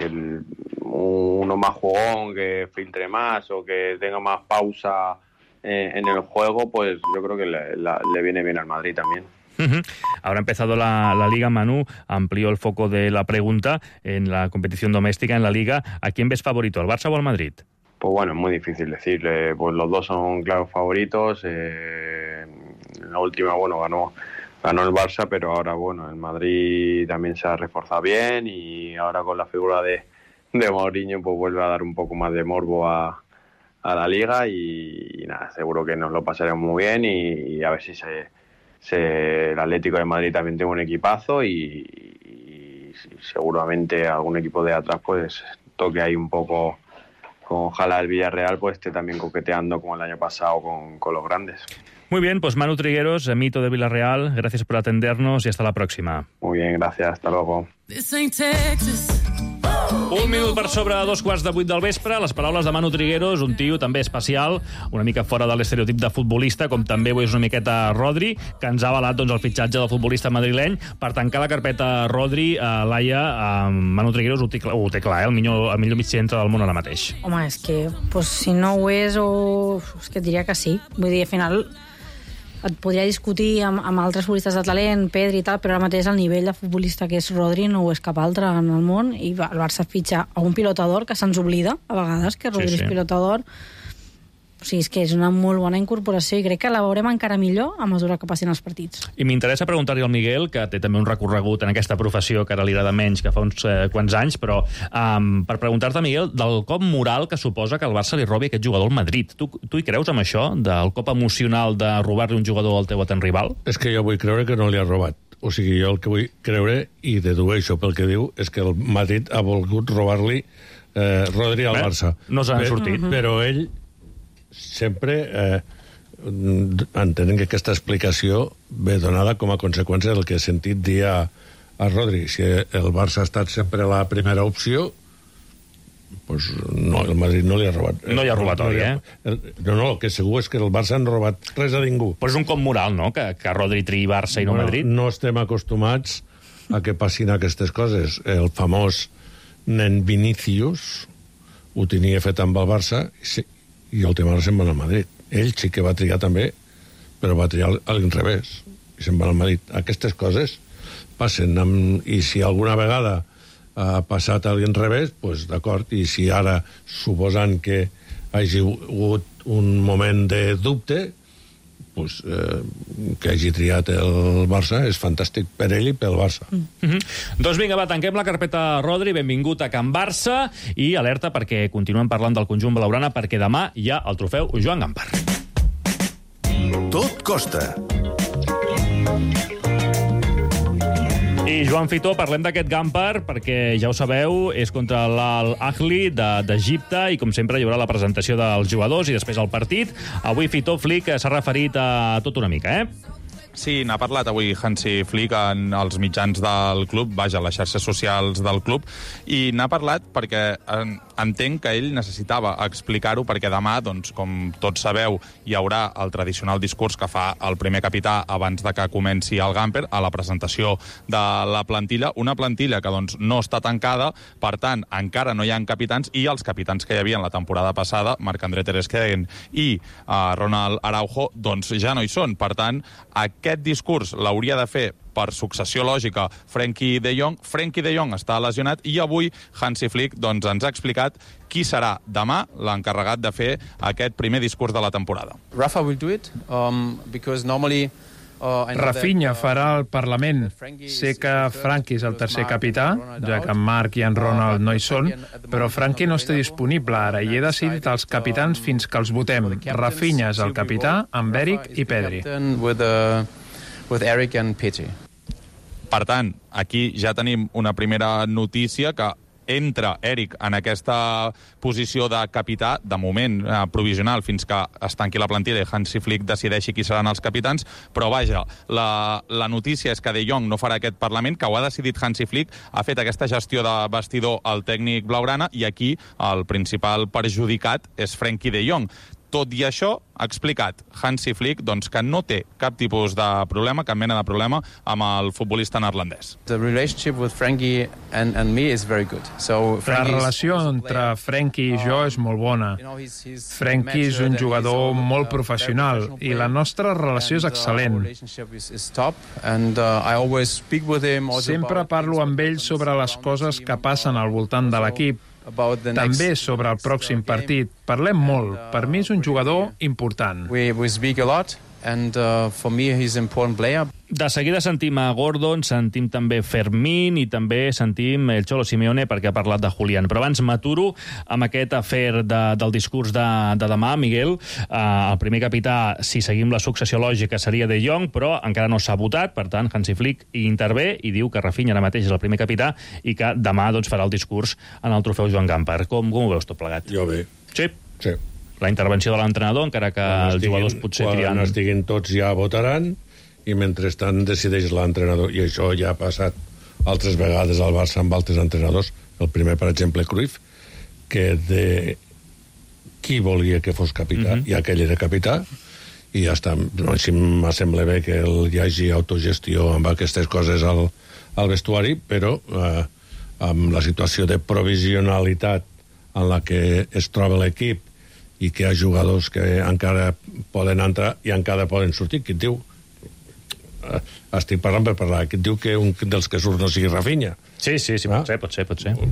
uno más jugón, que filtre más o que tenga más pausa en el juego, pues yo creo que le viene bien al Madrid también. Ahora ha empezado la Liga. Manu amplió el foco de la pregunta en la competición doméstica, en la Liga. ¿A quién ves favorito, al Barça o al Madrid? Pues bueno, es muy difícil decirle. Pues los dos son claros favoritos. La última, bueno, ganó el Barça, pero ahora, bueno, el Madrid también se ha reforzado bien y ahora con la figura de Mourinho, pues vuelve a dar un poco más de morbo a la Liga y nada, seguro que nos lo pasaremos muy bien y a ver si el Atlético de Madrid también tiene un equipazo y seguramente algún equipo de atrás pues toque ahí un poco, con ojalá el Villarreal pues esté también coqueteando como el año pasado con los grandes. Muy bien, pues Manu Trigueros, mito de Villarreal, gracias por atendernos y hasta la próxima. Muy bien, gracias, hasta luego. Un minut per sobre 7:15 del vespre, les paraules de Manu Trigueros, un tio també especial, una mica fora de l'estereotip de futbolista, com també ho és una miqueta Rodri, que ens ha avalat el fitxatge del futbolista madrileny. Per tancar la carpeta Rodri, Laia, Manu Trigueros ho té clar, el millor mig centre del món ara mateix. Home, és que si no ho és, és que et diria que sí. Vull dir, al final et podria discutir amb altres futbolistes de talent, Pedri i tal, però ara mateix el nivell de futbolista que és Rodri no ho és cap altre en el món, i el Barça fitxa a un pilotador que se'ns oblida a vegades que Rodri és pilotador. O sigui, és que és una molt bona incorporació i crec que la veurem encara millor a mesura que passin els partits. I m'interessa preguntar-li al Miguel, que té també un recorregut en aquesta professió que ara li agrada menys que fa uns quants anys, però per preguntar-te, Miguel, del cop moral que suposa que el Barça li robi aquest jugador al Madrid. Tu hi creus amb això, del cop emocional de robar-li un jugador al teu atent rival? És que jo vull creure que no li ha robat. O sigui, jo el que vull creure, i dedueixo pel que diu, és que el Madrid ha volgut robar-li Rodri al Barça. No s'han sortit. Però ell sempre entenem que aquesta explicació ve donada com a conseqüència del que he sentit dir a Rodri. Si el Barça ha estat sempre la primera opció, pues no, el Madrid no li ha robat. No li ha robat oi, No, el que segur és que el Barça no ha robat res a ningú. Però és un cop moral, no?, que Rodri triï Barça i no Madrid. No estem acostumats a que passin aquestes coses. El famós nen Vinícius ho tenia fet amb el Barça i el tema se'n va al Madrid. Ell sí que va triar també, però va triar a l'inrevés i se'n va al Madrid. Aquestes coses passen, i si alguna vegada ha passat a l'inrevés, doncs d'acord, i si ara, suposant que hagi hagut un moment de dubte, pues, que hagi triat el Barça és fantàstic per ell i pel Barça. Doncs vinga, va, tanquem la carpeta Rodri, benvingut a Can Barça, i alerta perquè continuem parlant del conjunt blaugrana, perquè demà hi ha el trofeu Joan Gampar. Tot costa. I Joan Fitó, parlem d'aquest Gampar, perquè ja ho sabeu, és contra l'Al-Ahli d'Egipte, i com sempre hi haurà la presentació dels jugadors i després el partit. Avui Fitó Flick s'ha referit a tot una mica, Sí, n'ha parlat avui Hansi Flick en els mitjans del club, vaja, les xarxes socials del club, i n'ha parlat perquè entenc que ell necessitava explicar-ho, perquè demà, doncs, com tots sabeu, hi haurà el tradicional discurs que fa el primer capità abans de que comenci el Gamper a la presentació de la plantilla, una plantilla que doncs, no està tancada, per tant, encara no hi ha capitans, i els capitans que hi havia en la temporada passada, Marc-André ter Stegen i Ronald Araujo, doncs ja no hi són. Per tant, aquest discurs l'hauria de fer per successió lògica Frenkie de Jong. Frenkie de Jong està lesionat i avui Hansi Flick doncs, ens ha explicat qui serà demà l'encarregat de fer aquest primer discurs de la temporada. Rafa will do it because normally Rafinha farà el Parlament. Sé que Frankie és el tercer capità, ja que en Marc i en Ronald no hi són, però Frankie no està disponible ara i he decidit els capitans fins que els votem. Rafinha és el capità, amb Eric i Pedri. Per tant, aquí ja tenim una primera notícia que entra Eric en aquesta posició de capità, de moment provisional, fins que es tanqui la plantilla i Hansi Flick decideixi qui seran els capitans, però vaja, la notícia és que De Jong no farà aquest Parlament, que ho ha decidit Hansi Flick, ha fet aquesta gestió de vestidor al tècnic blaugrana i aquí el principal perjudicat és Frenkie de Jong. Tot i això, ha explicat Hansi Flick doncs, que no té cap tipus de problema, cap mena de problema, amb el futbolista neerlandès. La relació entre Frenkie i jo és molt bona. Frenkie és un jugador molt professional i la nostra relació és excel·lent. Sempre parlo amb ell sobre les coses que passen al voltant de l'equip, també sobre el pròxim partit. Parlem molt. Per mi és un jugador important. De seguida sentim a Gordon, sentim també Fermín i també sentim el Cholo Simeone perquè ha parlat de Julián. Però abans m'aturo amb aquest afer del discurs de demà, Miguel. El primer capità, si seguim la successió lògica, seria De Jong, però encara no s'ha votat, per tant, Hansi Flick hi intervé i diu que Rafinha ara mateix és el primer capità i que demà doncs, farà el discurs en el trofeu Joan Gamper. Com ho veus tot plegat? Jo bé. Sí? Sí. La intervenció de l'entrenador, encara que els jugadors potser triant... Quan estiguin tots ja votaran i mentrestant decideix l'entrenador. I això ja ha passat altres vegades al Barça amb altres entrenadors. El primer, per exemple, Cruyff, que de qui volia que fos capità, i aquell era capità, i ja està. Així m'assembla bé que hi hagi autogestió amb aquestes coses al vestuari, però amb la situació de provisionalitat en la que es troba l'equip i que hi ha jugadors que encara poden entrar i encara poden sortir. Qui et diu... estic parlant per parlar. Qui et diu que un dels que surt no sigui Rafinha? Sí, pot ser.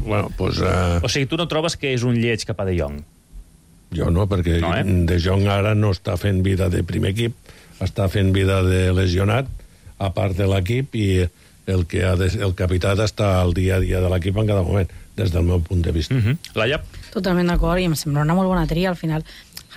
Bueno, pues, o sigui, tu no trobes que és un lleig cap a De Jong? Jo no, perquè De Jong ara no està fent vida de primer equip, està fent vida de lesionat, a part de l'equip, i el capità ha d'estar al dia a dia de l'equip en cada moment, des del meu punt de vista. Laia? Totalment d'acord, i em sembla una molt bona tria. Al final,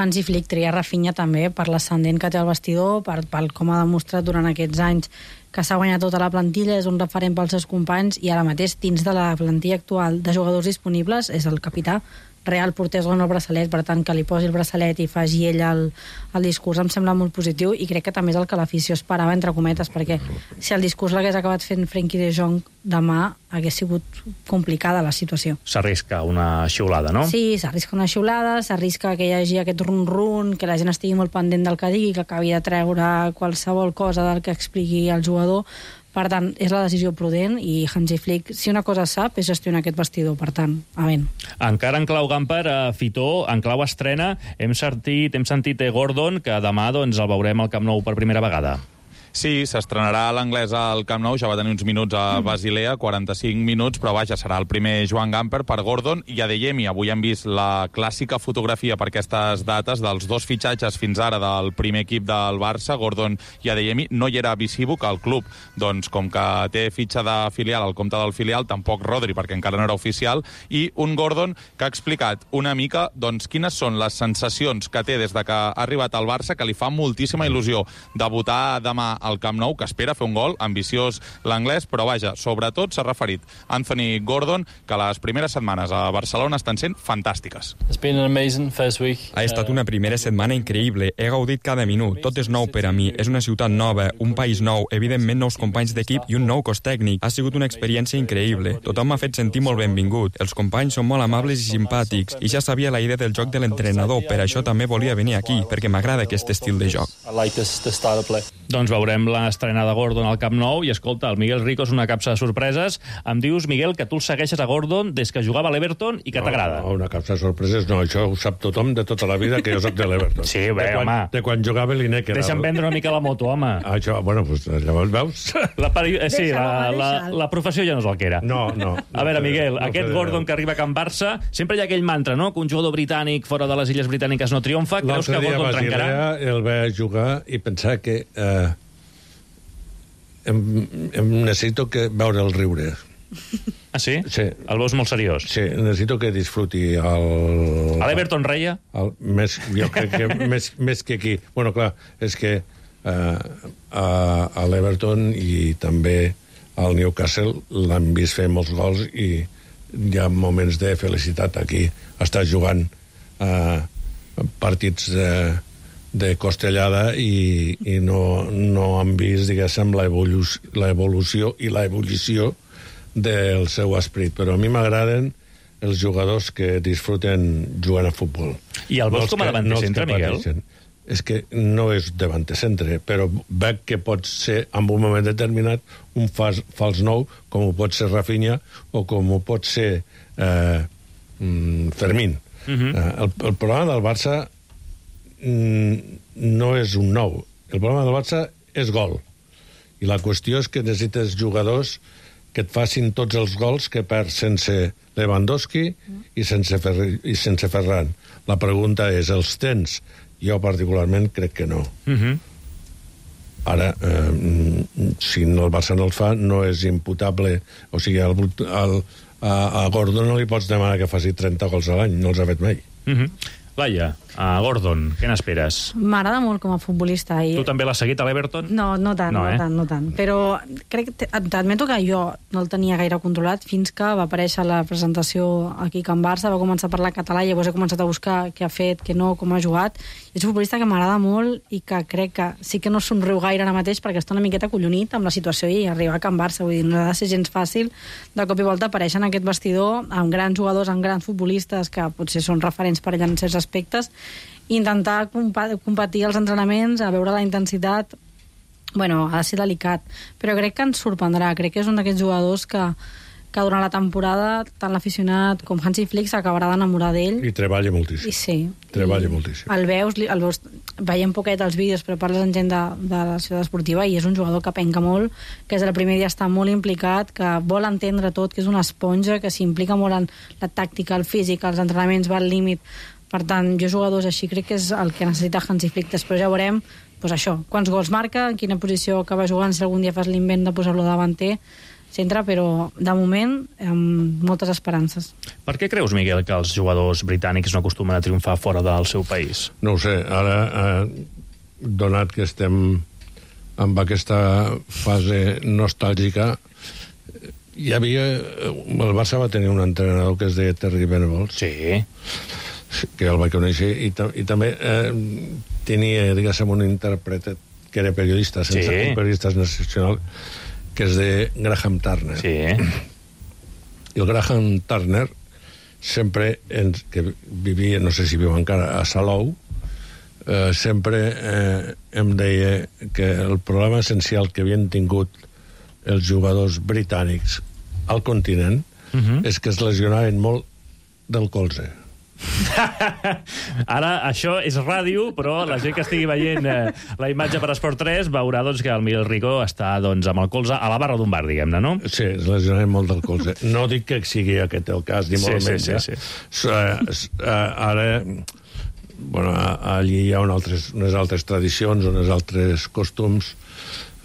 Hansi Flick tria Rafinha també per l'ascendent que té al vestidor, pel com ha demostrat durant aquests anys que s'ha guanyat tota la plantilla, és un referent pels seus companys, i ara mateix, dins de la plantilla actual de jugadors disponibles, és el capità. Real portés el braçalet, per tant, que li posi el braçalet i faci ell el discurs em sembla molt positiu, i crec que també és el que l'afició esperava, entre cometes, perquè si el discurs l'hagués acabat fent Frenkie de Jong demà, hagués sigut complicada la situació. S'arrisca una xiulada, no? Sí, s'arrisca una xiulada, s'arrisca que hi hagi aquest run-run, que la gent estigui molt pendent del que digui, que acabi de treure qualsevol cosa del que expliqui el jugador. Per tant, és la decisió prudent, i Hansi Flick, si una cosa sap, és gestionar aquest vestidor. Per tant, avent. Encara en clau Gamper, Fitó, en clau estrena, hem sentit Gordon, que demà doncs, el veurem al Camp Nou per primera vegada. Sí, s'estrenarà l'anglès al Camp Nou, ja va tenir uns minuts a Basilea, 45 minuts, però vaja, serà el primer Joan Gamper per Gordon i Adeyemi. Avui hem vist la clàssica fotografia per aquestes dates dels dos fitxatges fins ara del primer equip del Barça, Gordon i Adeyemi. No hi era Visibuk al club, doncs com que té fitxa de filial al compte del filial, tampoc Rodri, perquè encara no era oficial, i un Gordon que ha explicat una mica doncs, quines són les sensacions que té des de que ha arribat al Barça, que li fa moltíssima il·lusió debutar demà al Camp Nou, que espera fer un gol, ambiciós l'anglès, però vaja, sobretot s'ha referit Anthony Gordon, que les primeres setmanes a Barcelona estan sent fantàstiques. Ha estat una primera setmana increïble, he gaudit cada minut, tot és nou per a mi, és una ciutat nova, un país nou, evidentment nous companys d'equip i un nou cos tècnic. Ha sigut una experiència increïble, tothom m'ha fet sentir molt benvingut, els companys són molt amables i simpàtics, i ja sabia la idea del joc de l'entrenador, per això també volia venir aquí, perquè m'agrada aquest estil de joc. Doncs veurem l'estrena de Gordon al Camp Nou i, escolta, el Miguel Rico és una capsa de sorpreses. Em dius, Miguel, que tu el segueixes a Gordon des que jugava a l'Everton i que t'agrada. No, una capsa de sorpreses no, això ho sap tothom de tota la vida, que jo soc de l'Everton. Sí, bé, home. De quan jugava a l'Ineker. Deixa'm vendre una mica la moto, home. Això, bueno, doncs llavors veus? Sí, la professió ja no és el que era. No. A veure, Miguel, aquest Gordon que arriba a Can Barça, sempre hi ha aquell mantra, no?, que un jugador britànic fora de les Illes Britàniques no triomfa. Creus que Gordon trencarà? L'altre dia el va jugar i pensar que necessito veure el riure. Ah, sí? Sí. El veus molt seriós? Sí, necessito que disfruti el... A l'Everton reia? Jo crec que més que aquí. Bueno, clar, és que a l'Everton i també al Newcastle l'han vist fer molts gols i hi ha moments de felicitat aquí. Està jugant partits de costellada i no han vist, diguéssim, l'evolució i l'ebullició del seu esperit, però a mi m'agraden els jugadors que disfruten jugant a futbol. I el veus com a davanter centre, Miguel? És que no és davanter centre, però veig que pot ser, en un moment determinat, un fals nou, com ho pot ser Rafinha o com ho pot ser Fermín. El problema del Barça no és un nou. El problema del Barça és gol. I la qüestió és que necessites jugadors que et facin tots els gols que perd sense Lewandowski i sense Ferran. La pregunta és, els tens? Jo particularment crec que no. Ara, si el Barça no el fa, no és imputable. O sigui, a Gordon no li pots demanar que faci 30 gols a l'any, no els ha fet mai. Laia, a Gordon, què n'esperes? M'agrada molt com a futbolista. Tu també l'has seguit a l'Everton? No tant. Però t'admeto que jo no el tenia gaire controlat fins que va aparèixer la presentació aquí a Can Barça, va començar a parlar català i llavors he començat a buscar què ha fet, què no, com ha jugat. És un futbolista que m'agrada molt i que crec que sí que no somriu gaire ara mateix perquè està una miqueta collonit amb la situació i arribar a Can Barça. Vull dir, no ha de ser gens fàcil de cop i volta aparèixer en aquest vestidor amb grans jugadors, amb grans futbolistes que potser són referents per allà en certs aspectes, intentar competir als entrenaments, a veure la intensitat, bueno, ha de ser delicat, però crec que ens sorprendrà, crec que és un d'aquests jugadors que durant la temporada tant l'aficionat com Hansi Flick s'acabarà d'enamorar d'ell. I treballa moltíssim. I sí. Treballa moltíssim. El veus, veiem poquet els vídeos, però parles amb gent de la ciutat esportiva i és un jugador que penca molt, que des del primer dia està molt implicat, que vol entendre tot, que és una esponja, que s'implica molt en la tàctica, el físic, els entrenaments, va al límit. Per tant, jo jugadors així crec que és el que necessita Hansi Flick. Després ja veurem, doncs això, quants gols marca, en quina posició acaba jugant, si algun dia fas l'invent de posar-lo davanter, centre, però de moment amb moltes esperances. Per què creus, Miguel, que els jugadors britànics no acostumen a triomfar fora del seu país? No ho sé, ara, donat que estem amb aquesta fase nostàlgica, hi havia... El Barça va tenir un entrenador que es deia Terry Venables. Sí. Que el vaig conèixer, i també tenia, diguéssim, un intèrpret que era periodista, sense un periodista nacional, que és de Graham Turner. Sí. I el Graham Turner sempre, que vivia, no sé si viu encara, a Salou, sempre em deia que el problema essencial que havien tingut els jugadors britànics al continent és que es lesionaven molt del colze. Ara, això és ràdio, però la gent que estigui veient la imatge per Esport 3 veurà doncs, que el Miguel Rico està doncs, amb el colze a la barra d'un bar, diguem-ne, no? Sí, es lesionen molt del colze. No dic que sigui aquest el cas, ni molt menys. Ara, bueno, allí hi ha unes altres tradicions, unes altres costums,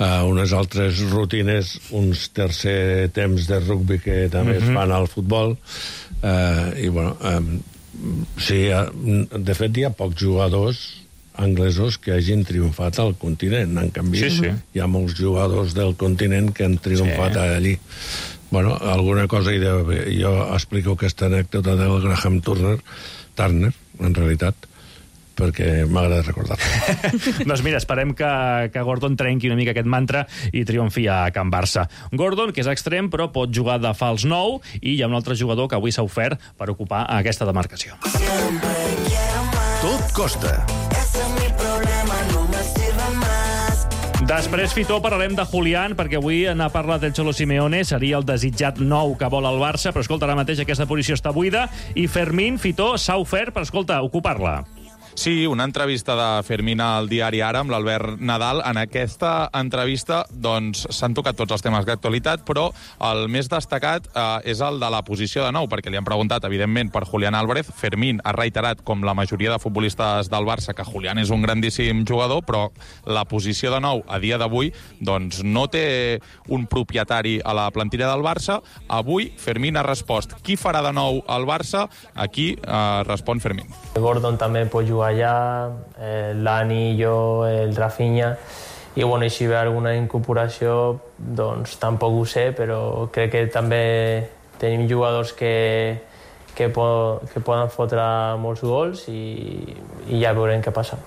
unes altres rutines, uns tercer temps de rugby que també es fan al futbol, i bueno... Sí, de fet hi ha pocs jugadors anglesos que hagin triomfat al continent. En canvi, hi ha molts jugadors del continent que han triomfat allí. Bueno, alguna cosa hi deu haver. Jo explico aquesta anècdota del Graham Turner, en realitat, perquè m'agrada recordar-la. Doncs mira, esperem que Gordon trenqui una mica aquest mantra i triomfi a Can Barça. Gordon, que és extrem, però pot jugar de fals nou, i hi ha un altre jugador que avui s'ha ofert per ocupar aquesta demarcació. Tot costa. Després, Fitó, parlarem de Julián, perquè avui n'ha parlat el Cholo Simeone, seria el desitjat nou que vol el Barça, però escolta, ara mateix aquesta posició està buida, i Fermín, Fitó, s'ha ofert per, escolta, ocupar-la. Sí, una entrevista de Fermín al diari Ara amb l'Albert Nadal. En aquesta entrevista doncs, s'han tocat tots els temes d'actualitat, però el més destacat és el de la posició de nou, perquè li han preguntat, evidentment, per Julián Álvarez. Fermín ha reiterat, com la majoria de futbolistes del Barça, que Julián és un grandíssim jugador, però la posició de nou, a dia d'avui, doncs no té un propietari a la plantilla del Barça. Avui, Fermín ha respost qui farà de nou al Barça. Aquí respon Fermín. Gordon també pot jugar allà, l'Ani, jo, el Rafinha, i bueno, si ve alguna incorporació, doncs tampoc ho sé, però crec que també tenim jugadors que poden fotre molts gols i ja veurem què passa.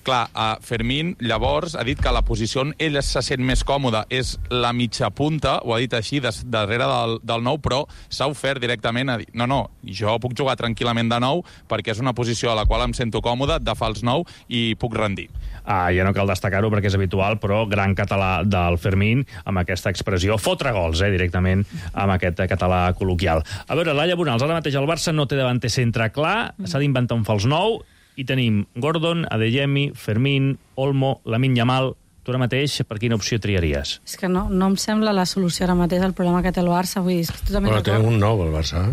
Clar, Fermín llavors ha dit que la posició on ell se sent més còmode és la mitja punta, ho ha dit així, darrere del nou, però s'ha ofert directament a dir no, jo puc jugar tranquil·lament de nou perquè és una posició a la qual em sento còmode, de fals nou, i puc rendir. Ja no cal destacar-ho perquè és habitual, però gran català del Fermín, amb aquesta expressió, fotre gols, directament, amb aquest català col·loquial. A veure, Laia Bonals, ara mateix el Barça no té davanter centre clar, s'ha d'inventar un fals nou, i tenim Gordon, Adeyemi, Fermín, Olmo, Lamine Yamal. Tu ara mateix, per quina opció triaries? És que no em sembla la solució ara mateix al problema que té el Barça. Vull dir, és que totalment però té un nou, el Barça.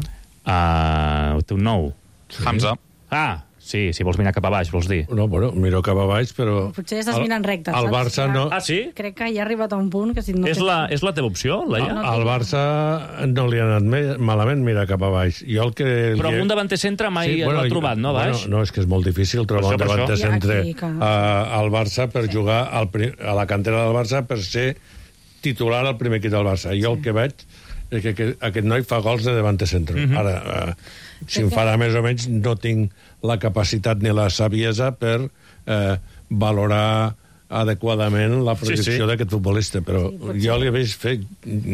Té un nou. Sí. Hamza. Sí, si vols mirar cap a baix, vols dir. No, bueno, miro cap a baix, però... Potser estàs mirant recte, saps? El Barça no... Sí? Crec que ja ha arribat a un punt que si no... És la teva opció, Laia? Al Barça no li ha anat malament mirar cap a baix. Però un davanter centre mai l'ha trobat, no, baix? No, és que és molt difícil trobar un davanter centre al Barça per jugar a la cantera del Barça per ser titular al primer equip del Barça. Jo el que veig és que aquest noi fa gols de davanter centre. Ara, si em farà més o menys, no tinc la capacitat ni la saviesa per valorar adequadament la projecció d'aquest futbolista, però jo li veig fer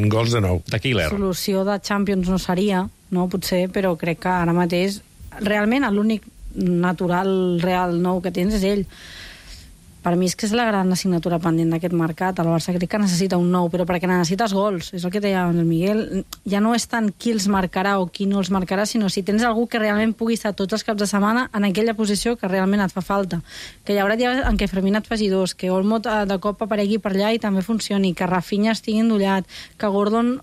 gols de nou. De killer. La solució de Champions no seria, no, potser, però crec que ara mateix realment l'únic natural, real nou que tens és ell. Per mi és que és la gran assignatura pendent d'aquest mercat. El Barça crec que necessita un nou, però perquè necessites gols. És el que deia el Miguel. Ja no és tant qui els marcarà o qui no els marcarà, sinó si tens algú que realment pugui estar tots els caps de setmana en aquella posició que realment et fa falta. Que hi haurà dies en què Fermín et faci dos, que Olmo de cop aparegui per allà i també funcioni, que Rafinha estigui endollat, que Gordon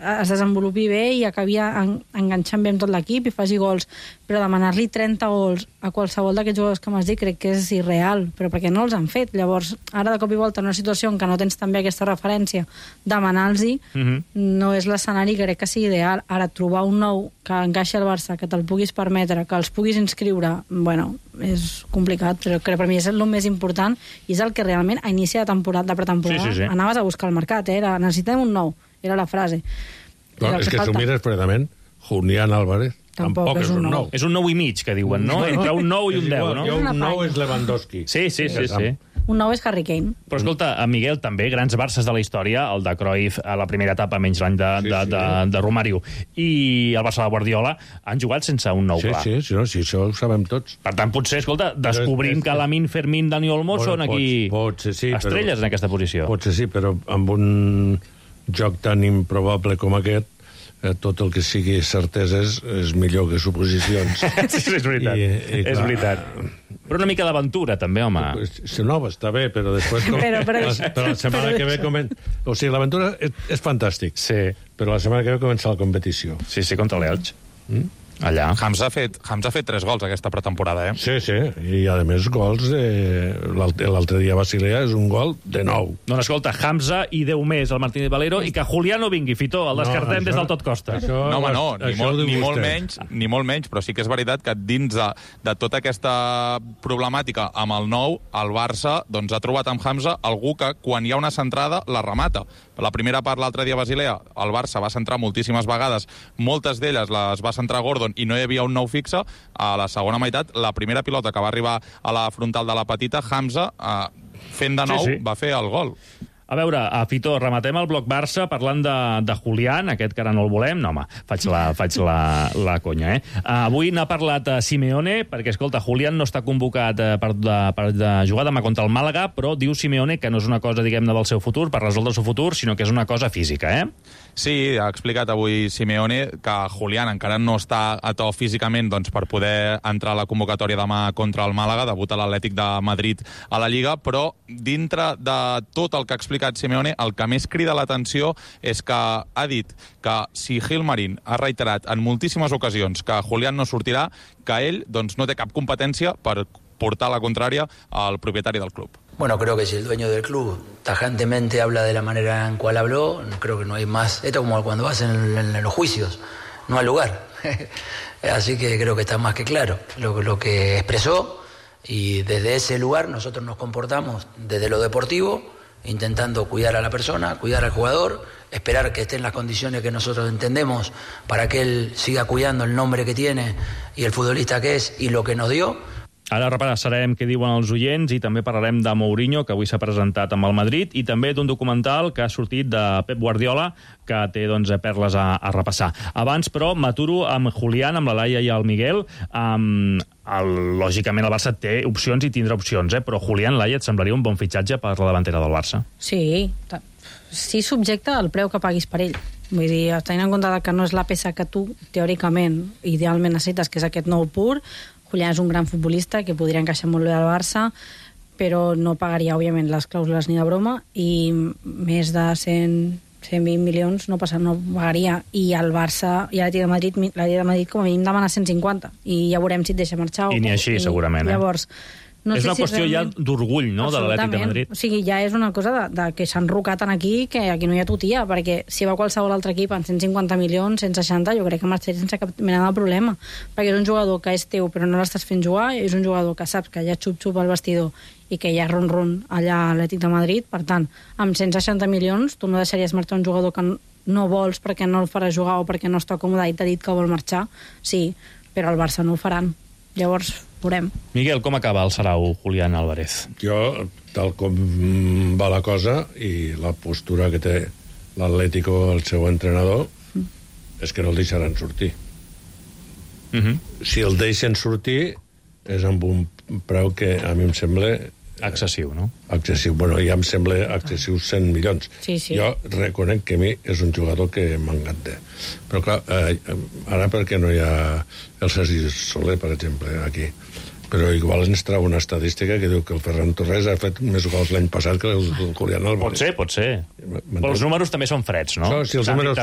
es desenvolupi bé i acabi enganxant bé amb tot l'equip i faci gols, però demanar-li 30 gols a qualsevol d'aquests jugadors que m'has dit crec que és irreal, però perquè no els han fet. Llavors, ara de cop i volta en una situació en què no tens també aquesta referència, demanar-los no és l'escenari que crec que sigui ideal. Ara, trobar un nou que encaixi al Barça, que te'l puguis permetre, que els puguis inscriure, bueno, és complicat, però crec que per mi és el més important i és el que realment a inici de pretemporada anaves a buscar al mercat, necessitem un nou, era la frase. Clar, és que si ho mires fredament, Julián Álvarez tampoc és un nou. És un 9 i mig, que diuen, no? Entre un 9 i un 10, no? Un 9 és Lewandowski. Sí. Un nou és Harry Kane. Però escolta, Miguel, també, grans Barces de la història, el de Cruyff a la primera etapa, menys l'any de Romario, i el Barça de Guardiola, han jugat sense un nou clar. Sí, això ho sabem tots. Per tant, potser, escolta, descobrim que Lamine, Fermín, Dani Olmo són aquí estrelles en aquesta posició. Potser sí, però amb un joc tan improbable com aquest, tot el que sigui certeses és millor que suposicions. Sí, és veritat. És veritat. Però una mica d'aventura, també, home. No, està bé, però després... Però la setmana que ve comença... O sigui, l'aventura és fantàstic. Sí. Però la setmana que ve comença la competició. Sí, contra l'Elx. Allà. Hamza ha fet 3 gols aquesta pretemporada, Sí, i a més gols l'altre dia a Basilea és un gol de nou. Doncs escolta, Hamza i 10 més el Martínez Valero i que Julián no vingui, Fitó, el descartem des del tot costa. No, home, no, ni molt menys, però sí que és veritat que dins de tota aquesta problemàtica amb el nou, el Barça doncs, ha trobat amb Hamza algú que quan hi ha una centrada la remata. La primera part l'altre dia a Basilea, el Barça va centrar moltíssimes vegades, moltes d'elles les va centrar Gordon i no hi havia un nou fixe. A la segona meitat, la primera pilota que va arribar a la frontal de la petita, Hamza, fent de nou, va fer el gol. A veure, Fito, rematem el bloc Barça parlant de Julián, aquest que ara no el volem. No, home, faig la conya, Avui n'ha parlat Simeone, perquè, escolta, Julián no està convocat per jugar demà contra el Màlaga, però diu Simeone que no és una cosa, diguem-ne, del seu futur, per resoldre el seu futur, sinó que és una cosa física, Sí, ha explicat avui Simeone que Julián encara no està a to físicament per poder entrar a la convocatòria demà contra el Màlaga, debut a l'Atlètic de Madrid a la Lliga, però dintre de tot el que ha explicat Simeone, el que més crida l'atenció és que ha dit que si Gilmarín ha reiterat en moltíssimes ocasions que Julián no sortirà, que ell no té cap competència per portar la contrària al propietari del club. Bueno, creo que si el dueño del club tajantemente habla de la manera en cual habló, creo que no hay más. Esto es como cuando vas en los juicios, no hay lugar. Así que creo que está más que claro lo que expresó, y desde ese lugar nosotros nos comportamos desde lo deportivo, intentando cuidar a la persona, cuidar al jugador, esperar que esté en las condiciones que nosotros entendemos para que él siga cuidando el nombre que tiene y el futbolista que es y lo que nos dio. Ara repassarem què diuen els oients i també parlarem de Mourinho, que avui s'ha presentat amb el Madrid, i també d'un documental que ha sortit de Pep Guardiola, que té perles a repassar. Abans, però, m'aturo amb Julián, amb la Laia i el Miguel. Lògicament, el Barça té opcions i tindrà opcions, però Julián, Laia, et semblaria un bon fitxatge per la davantera del Barça? Sí, subjecte al preu que paguis per ell. Vull dir, tenint en compte que no és la peça que tu, teòricament, idealment necessites, que és aquest nou pur. Julián és un gran futbolista que podria encaixar molt bé al Barça, però no pagaria, òbviament, les clàusules ni de broma, i més de 120 milions no pagaria. I el Barça i l'Atlètic de Madrid com a mínim demana 150, i ja veurem si et deixa marxar. I ni així, segurament. Llavors, no és sé una qüestió ja d'orgull, no?, de l'Atlètic de Madrid. O sigui, ja és una cosa de que s'han rocat aquí, que aquí no hi ha tutia, perquè si va qualsevol altre equip en 150 milions, 160, jo crec que marxaria sense cap mena de problema, perquè és un jugador que és teu però no l'estàs fent jugar, és un jugador que saps que hi ha xup-xup al vestidor i que hi ha ron-ron allà a l'Atlètic de Madrid. Per tant, amb 160 milions tu no deixaries marxar un jugador que no vols perquè no el farà jugar o perquè no està còmode i t'ha dit que vol marxar. Sí, però al Barça no ho faran. Llavors, veurem. Miguel, com acaba el sarau Julián Álvarez? Jo, tal com va la cosa i la postura que té l'Atlético, el seu entrenador, és que no el deixaran sortir. Si el deixen sortir és amb un preu que a mi em sembla excessiu, no? Excessiu. Bueno, ja em sembla excessiu 100 milions. Sí, sí. Jo reconec que a mi és un jugador que m'encanta. Però clar, ara perquè no hi ha el Sergi Soler, per exemple, aquí. Però igual ens trau una estadística que diu que el Ferran Torres ha fet més gols l'any passat que el Julián Álvarez. Pot ser. Però els números també són freds, no? Sí, els números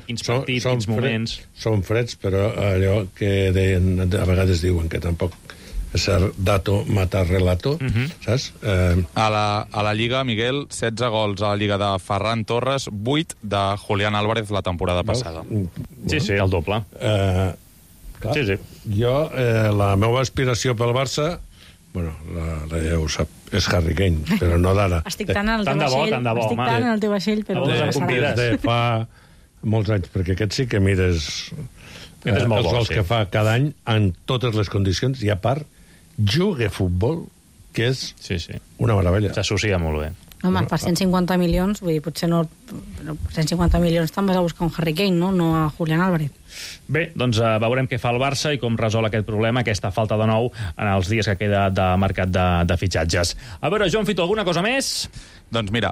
quins partits, quins moments... Són freds, però allò que deien, a vegades diuen que tampoc ser dato mata relato, saps? A la Lliga, Miguel, 16 gols a la Lliga de Ferran Torres, 8 de Julián Álvarez la temporada passada. Sí, el doble. Clar, sí. Jo, la meva aspiració pel Barça, bueno, la ja ho sap, és Harry Kane, però no d'ara. Estic tant en el teu vaixell, però... Des de fa molts anys, perquè aquest sí que mires els gols que fa cada any en totes les condicions, i a part juga a futbol, que és una meravella. S'associa molt bé. Home, per 150 milions, vull dir, potser no... Per 150 milions te'n vas a buscar un Harry Kane, no a Julián Álvarez. Bé, doncs veurem què fa el Barça i com resol aquest problema, aquesta falta de nou en els dies que queda de mercat de fitxatges. A veure, Joan Fito, alguna cosa més? Doncs mira,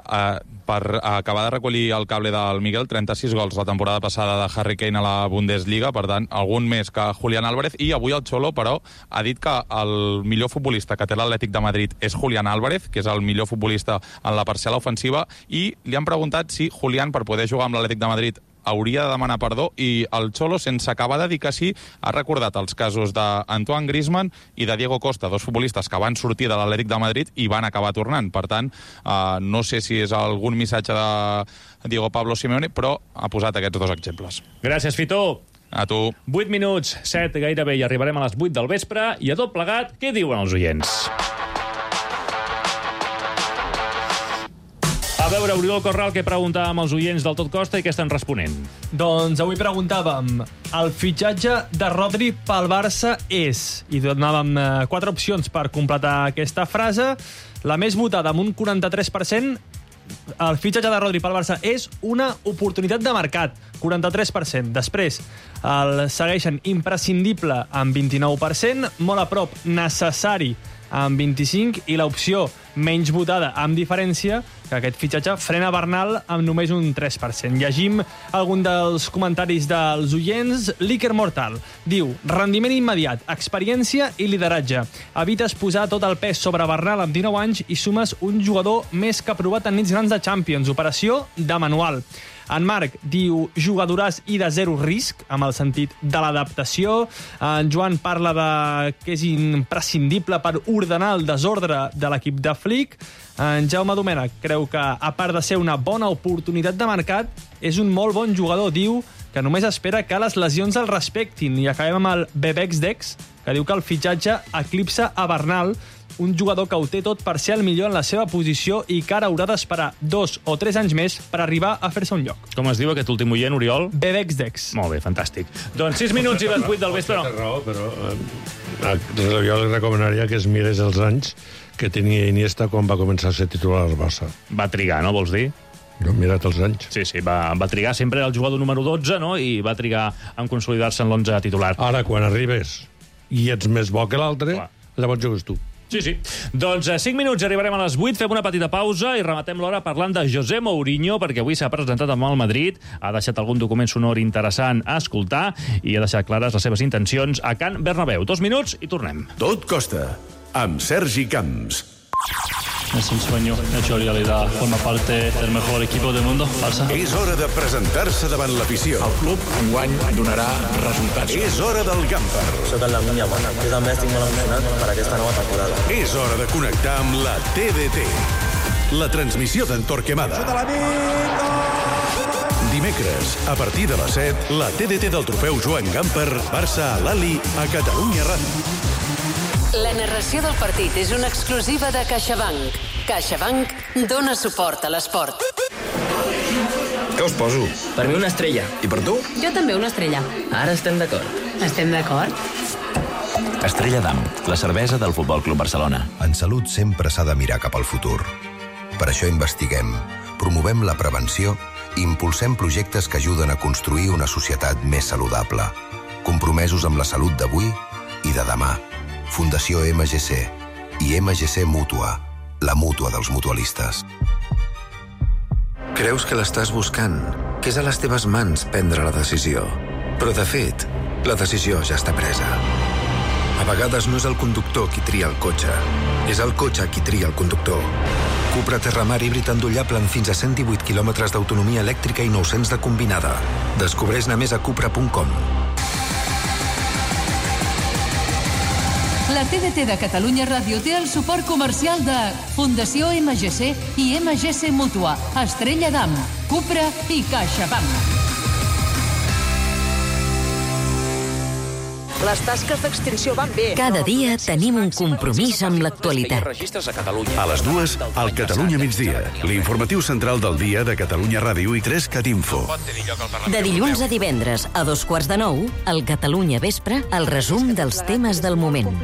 per acabar de recollir el cable del Miguel, 36 gols la temporada passada de Harry Kane a la Bundesliga, per tant, algun més que Julián Álvarez, i avui el Xolo, però, ha dit que el millor futbolista que té l'Atlètic de Madrid és Julián Álvarez, que és el millor futbolista en la parcel·la ofensiva, i li han preguntat si Julián, per poder jugar amb l'Atlètic de Madrid, hauria de demanar perdó, i el Xolo, sense acabar de dir que sí, ha recordat els casos d'Antoine Griezmann i de Diego Costa, dos futbolistes que van sortir de l'Atlètic de Madrid i van acabar tornant. Per tant, no sé si és algun missatge de Diego Pablo Simeone, però ha posat aquests dos exemples. Gràcies, Fito. A tu. 8 minuts, 7 gairebé, i arribarem a les 8 del vespre, i a tot plegat, què diuen els oients? A veure, Oriol Corral, què preguntàvem als oients del Tot Costa i què estan responent? Doncs avui preguntàvem, el fitxatge de Rodri pel Barça és... I donàvem 4 opcions per completar aquesta frase. La més votada, amb un 43%, el fitxatge de Rodri pel Barça és una oportunitat de mercat, 43%. Després el segueixen imprescindible amb 29%, molt a prop necessari amb 25%, i l'opció menys votada amb diferència, que aquest fitxatge frena Bernal amb només un 3%. Llegim algun dels comentaris dels oients. L'Iker Mortal diu: rendiment immediat, experiència i lideratge. Evites posar tot el pes sobre Bernal amb 19 anys i sumes un jugador més que provat en nits grans de Champions. Operació de manual. En Marc diu jugadoràs i de zero risc, amb el sentit de l'adaptació. En Joan parla de que és imprescindible per ordenar el desordre de l'equip de Flick. En Jaume Domènech creu que, a part de ser una bona oportunitat de mercat, és un molt bon jugador. Diu que només espera que les lesions el respectin. I acabem amb el Bebex Dex, que diu que el fitxatge eclipsa a Bernal, un jugador que ho té tot per ser el millor en la seva posició i que ara haurà d'esperar 2 o 3 anys més per arribar a fer-se un lloc. Com es diu aquest últim oient, Oriol? Bebex Dex. Molt bé, fantàstic. Doncs 6 minuts i les 8 del vespre. Té raó, però jo li recomanaria que es mirés els anys que tenia Iniesta quan va començar a ser titular al Barça. Va trigar, no, vols dir? Jo he mirat els anys. Sí, va trigar. Sempre era el jugador número 12, no?, i va trigar en consolidar-se en l'11 titular. Ara, quan arribes i ets més bo que l'altre, llavors jugues tu. Sí. Doncs 5 minuts i arribarem a les 8, fem una petita pausa i rematem l'hora parlant de José Mourinho, perquè avui s'ha presentat amb el Madrid, ha deixat algun document sonor interessant a escoltar i ha deixat clares les seves intencions a Can Bernabéu. 2 minuts i tornem. Tot costa, amb Sergi Camps. Es un sueño hecho realidad. Forma parte del mejor equipo del mundo, Barça. És hora de presentar-se davant l'afició. El club enguany donarà resultats. És hora del Gamper. Soc el Lamine Yamal. Jo també estic molt emocionat per aquesta nova temporada. És hora de connectar amb la TDT. La transmissió d'en Torquemada. Dimecres, a partir de les 7, la TDT del trofeu Joan Gamper, Barça a l'Ali, a Catalunya Ràdio. La narració del partit és una exclusiva de CaixaBank. CaixaBank dona suport a l'esport. Què us poso? Per mi una estrella. I per tu? Jo també una estrella. Ara estem d'acord. Estem d'acord? Estrella d'Am, la cervesa del Futbol Club Barcelona. En salut sempre s'ha de mirar cap al futur. Per això investiguem, promovem la prevenció i impulsem projectes que ajuden a construir una societat més saludable, compromesos amb la salut d'avui i de demà. Fundació MGC i MGC Mútua, la mútua dels mutualistes. Creus que l'estàs buscant, que és a les teves mans prendre la decisió. Però, de fet, la decisió ja està presa. A vegades no és el conductor qui tria el cotxe, és el cotxe qui tria el conductor. Cupra Terramar híbrid endollable amb fins a 118 quilòmetres d'autonomia elèctrica i 900 de combinada. Descobreix-ne més a cupra.com. La TDT de Catalunya Ràdio té el suport comercial de Fundació MGC i MGC Mútua, Estrella d'Am, Cupra i CaixaBank. Les tasques d'extinció van bé. Cada dia tenim un compromís amb l'actualitat. A les 2, al Catalunya migdia, l'informatiu central del dia de Catalunya Ràdio i 3 Catinfo. De dilluns a divendres, a 8:45, al Catalunya Vespre, el resum dels temes del moment.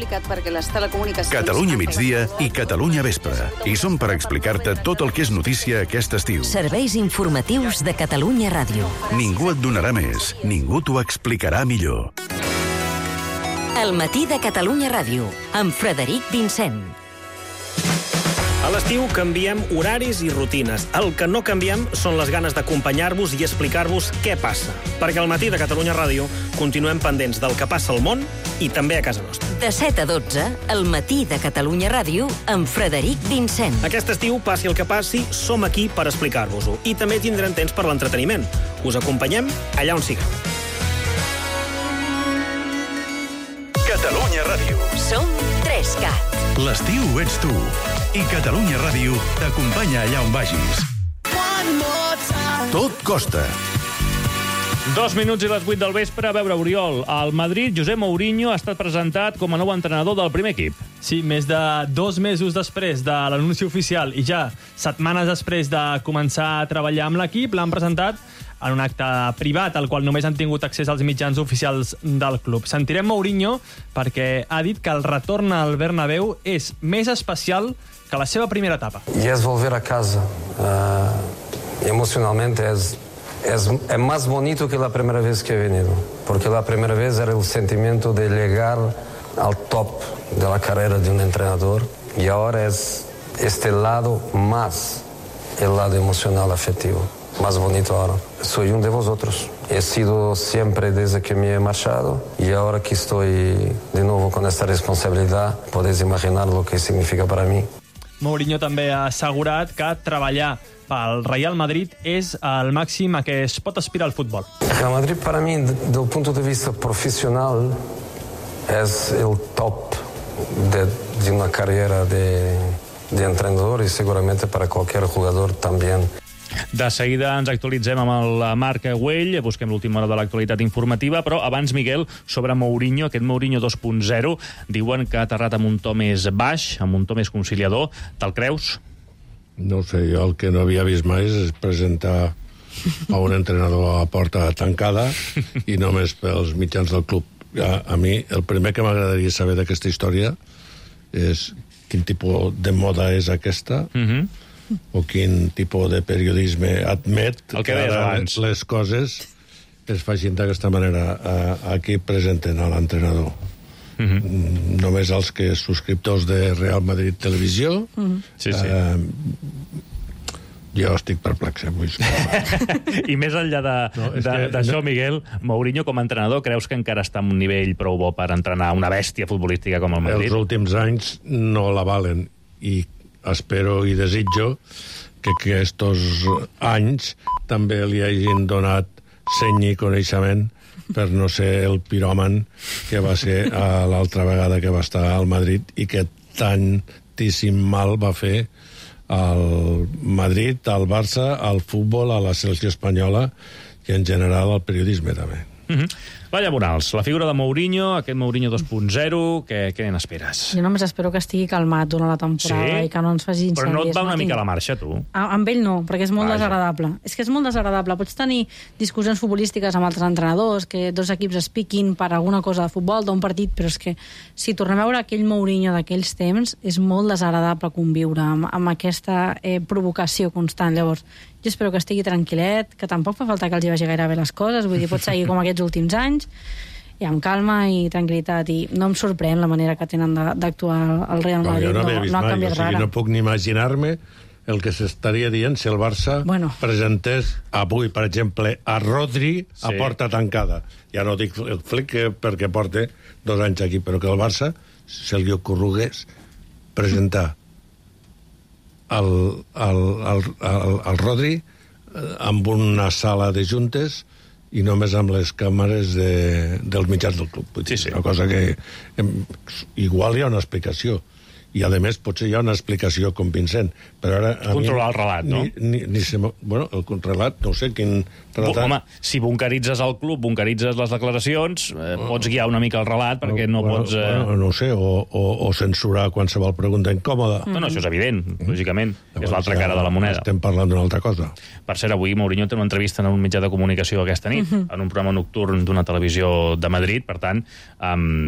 Catalunya migdia i Catalunya Vespre. I som per explicar-te tot el que és notícia aquest estiu. Serveis informatius de Catalunya Ràdio. Ningú et donarà més, ningú t'ho explicarà millor. El matí de Catalunya Ràdio, amb Frederic Vincent. A l'estiu canviem horaris i rutines. El que no canviem són les ganes d'acompanyar-vos i explicar-vos què passa. Perquè al matí de Catalunya Ràdio continuem pendents del que passa al món i també a casa nostra. De 7 a 12, el matí de Catalunya Ràdio, amb Frederic Vincent. Aquest estiu, passi el que passi, som aquí per explicar-vos-ho. I també tindrem temps per l'entreteniment. Us acompanyem allà on sigueu. Catalunya Ràdio. Som 3CAT. L'estiu ets tu. I Catalunya Ràdio t'acompanya allà on vagis. Tot costa. 2 minuts i les 8 del vespre. A veure, Oriol, al Madrid, José Mourinho ha estat presentat com a nou entrenador del primer equip. Sí, més de 2 mesos després de l'anunci oficial i ja setmanes després de començar a treballar amb l'equip, l'han presentat en un acte privat al qual només han tingut accés als mitjans oficials del club. Sentirem Mourinho perquè ha dit que el retorn al Bernabéu és més especial que la seva primera etapa. Y es volver a casa. Emocionalmente es más bonito que la primera vez que he venido, porque la primera vez era el sentimiento de llegar al top de la carrera de un entrenador y ahora es este lado más, el lado emocional afectivo, más bonito ahora. Soy uno de vosotros. He sido siempre desde que me he marchado y ahora que estoy de nuevo con esta responsabilidad, podéis imaginar lo que significa para mí. Mourinho també ha assegurat que treballar pel Real Madrid és el màxim a què es pot aspirar al futbol. Real Madrid para mí, desde el punto de vista profesional, es el top de una carrera de entrenador y seguramente para cualquier jugador también. De seguida ens actualitzem amb el Marc Güell, busquem l'última hora de l'actualitat informativa, però abans, Miguel, sobre Mourinho, aquest Mourinho 2.0, diuen que ha aterrat amb un to més baix, amb un to més conciliador. Te'l creus? No sé, jo el que no havia vist mai és presentar a un entrenador a porta tancada i només pels mitjans del club. A mi, el primer que m'agradaria saber d'aquesta història és quin tipus de moda és aquesta, o quin tipus de periodisme admet que ara les coses es facin d'aquesta manera. Aquí presenten a l'entrenador. Només els que subscriptors de Real Madrid Televisió. Jo estic perplex, I més enllà d'això, Miguel, Mourinho com a entrenador, creus que encara està en un nivell prou bo per entrenar una bèstia futbolística com el Madrid? Els últims anys no la valen i espero i desitjo que aquests anys també li hagin donat seny i coneixement per no ser el piròman que va ser l'altra vegada que va estar al Madrid i que tantíssim mal va fer al Madrid, al Barça, al futbol, a la selecció espanyola i en general al periodisme també. Vaya Morals, la figura de Mourinho, aquest Mourinho 2.0, què n'esperes? Jo només espero que estigui calmat durant la temporada i que no ens faci incendis. Però no et va una mica a la marxa, tu? Amb ell no, perquè és molt desagradable. És que és molt desagradable. Pots tenir discussions futbolístiques amb altres entrenadors, que dos equips es piquin per alguna cosa de futbol, d'un partit, però és que si tornem a veure aquell Mourinho d'aquells temps, és molt desagradable conviure amb aquesta provocació constant. Llavors, jo espero que estigui tranquil·let, que tampoc fa falta que els hi vagi gaire bé les coses, vull dir, pot seguir com aquests últims anys, i amb calma i tranquil·litat, i no em sorprèn la manera que tenen d'actuar el Real Madrid, no ha canviat res. No puc ni imaginar-me el que s'estaria dient si el Barça presentés avui, per exemple, a Rodri a porta tancada. Ja no dic el Flick perquè porta 2 anys aquí, però que el Barça se li ocorregués presentar el Rodri amb una sala de juntes i només amb les càmeres dels mitjans del club. Una cosa que igual hi ha una explicació i a més potser hi ha una explicació convincent, però ara... Controlar el relat, no? Bueno, el relat, no sé quin relat... Home, si bunkeritzes el club, bunkeritzes les declaracions, pots guiar una mica el relat perquè no pots... No sé, o censurar qualsevol pregunta incòmoda. No, això és evident, lògicament. És l'altra cara de la moneda. Estem parlant d'una altra cosa. Per cert, avui Mourinho té una entrevista en un mitjà de comunicació aquesta nit, en un programa nocturn d'una televisió de Madrid, per tant,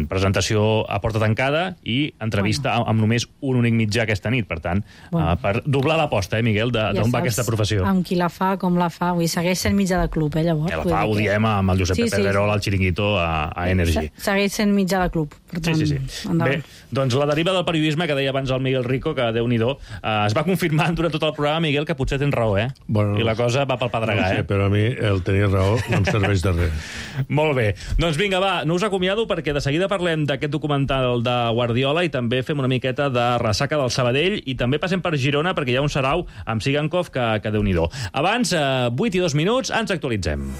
presentació a porta tancada i entrevista amb només un únic mitjà aquesta nit, per tant, per doblar l'aposta, Miguel, d'on va aquesta professió. Amb qui la fa, com la fa, vull dir, segueix sent mitjà de club, llavors. La fa, ho diem amb el Josep Pedrerol, al Chiringuito, a Energy. Segueix sent mitjà de club, per tant, Bé, endavant. doncs la deriva del periodisme que deia abans el Miguel Rico, que Déu-n'hi-do, es va confirmant durant tot el programa, Miguel, que potser tens raó, i la cosa va pel pedregar, No sé, però a mi el tenir raó no em serveix de res. Molt bé. Doncs vinga, va, no us acomiado perquè de seguida parlem d'aquest documental de Guardiola i també fem una miqueta de ressaca del Sabadell i també passem per Girona perquè hi ha un sarau amb Sigankov que Déu-n'hi-do. Abans, 8 i 2 minuts, ens actualitzem.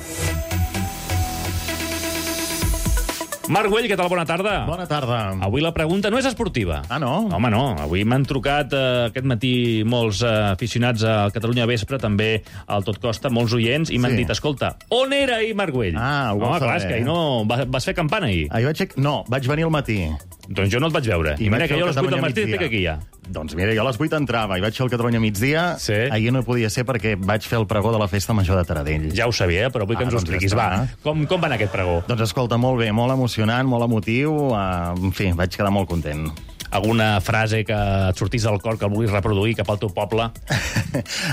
Marc Güell, què tal? Bona tarda. Bona tarda. Avui la pregunta no és esportiva. Ah, no? Home, no. Avui m'han trucat aquest matí molts aficionats a Catalunya Vespre, també al Tot Costa, molts oients, i m'han dit, escolta, on era ahir Marc Güell? Ah, ho vol saber. Clar, és que ahir no... Vas fer campana ahir? No, vaig venir al matí. Doncs jo no et vaig veure. I mira que jo a les 8 del matí estic aquí ja. Doncs mira, jo a les 8 entrava i vaig fer el Catalunya migdia. Sí. Ahir no podia ser perquè vaig fer el pregó de la Festa Major de Taradell. Ja ho sabia, però vull que ens ho expliquis. Va, com va anar aquest pregó? Doncs escolta, molt bé, molt emocionant, molt emotiu. En fi, vaig quedar molt content. Alguna frase que et sortís del cor que el vulguis reproduir cap al teu poble?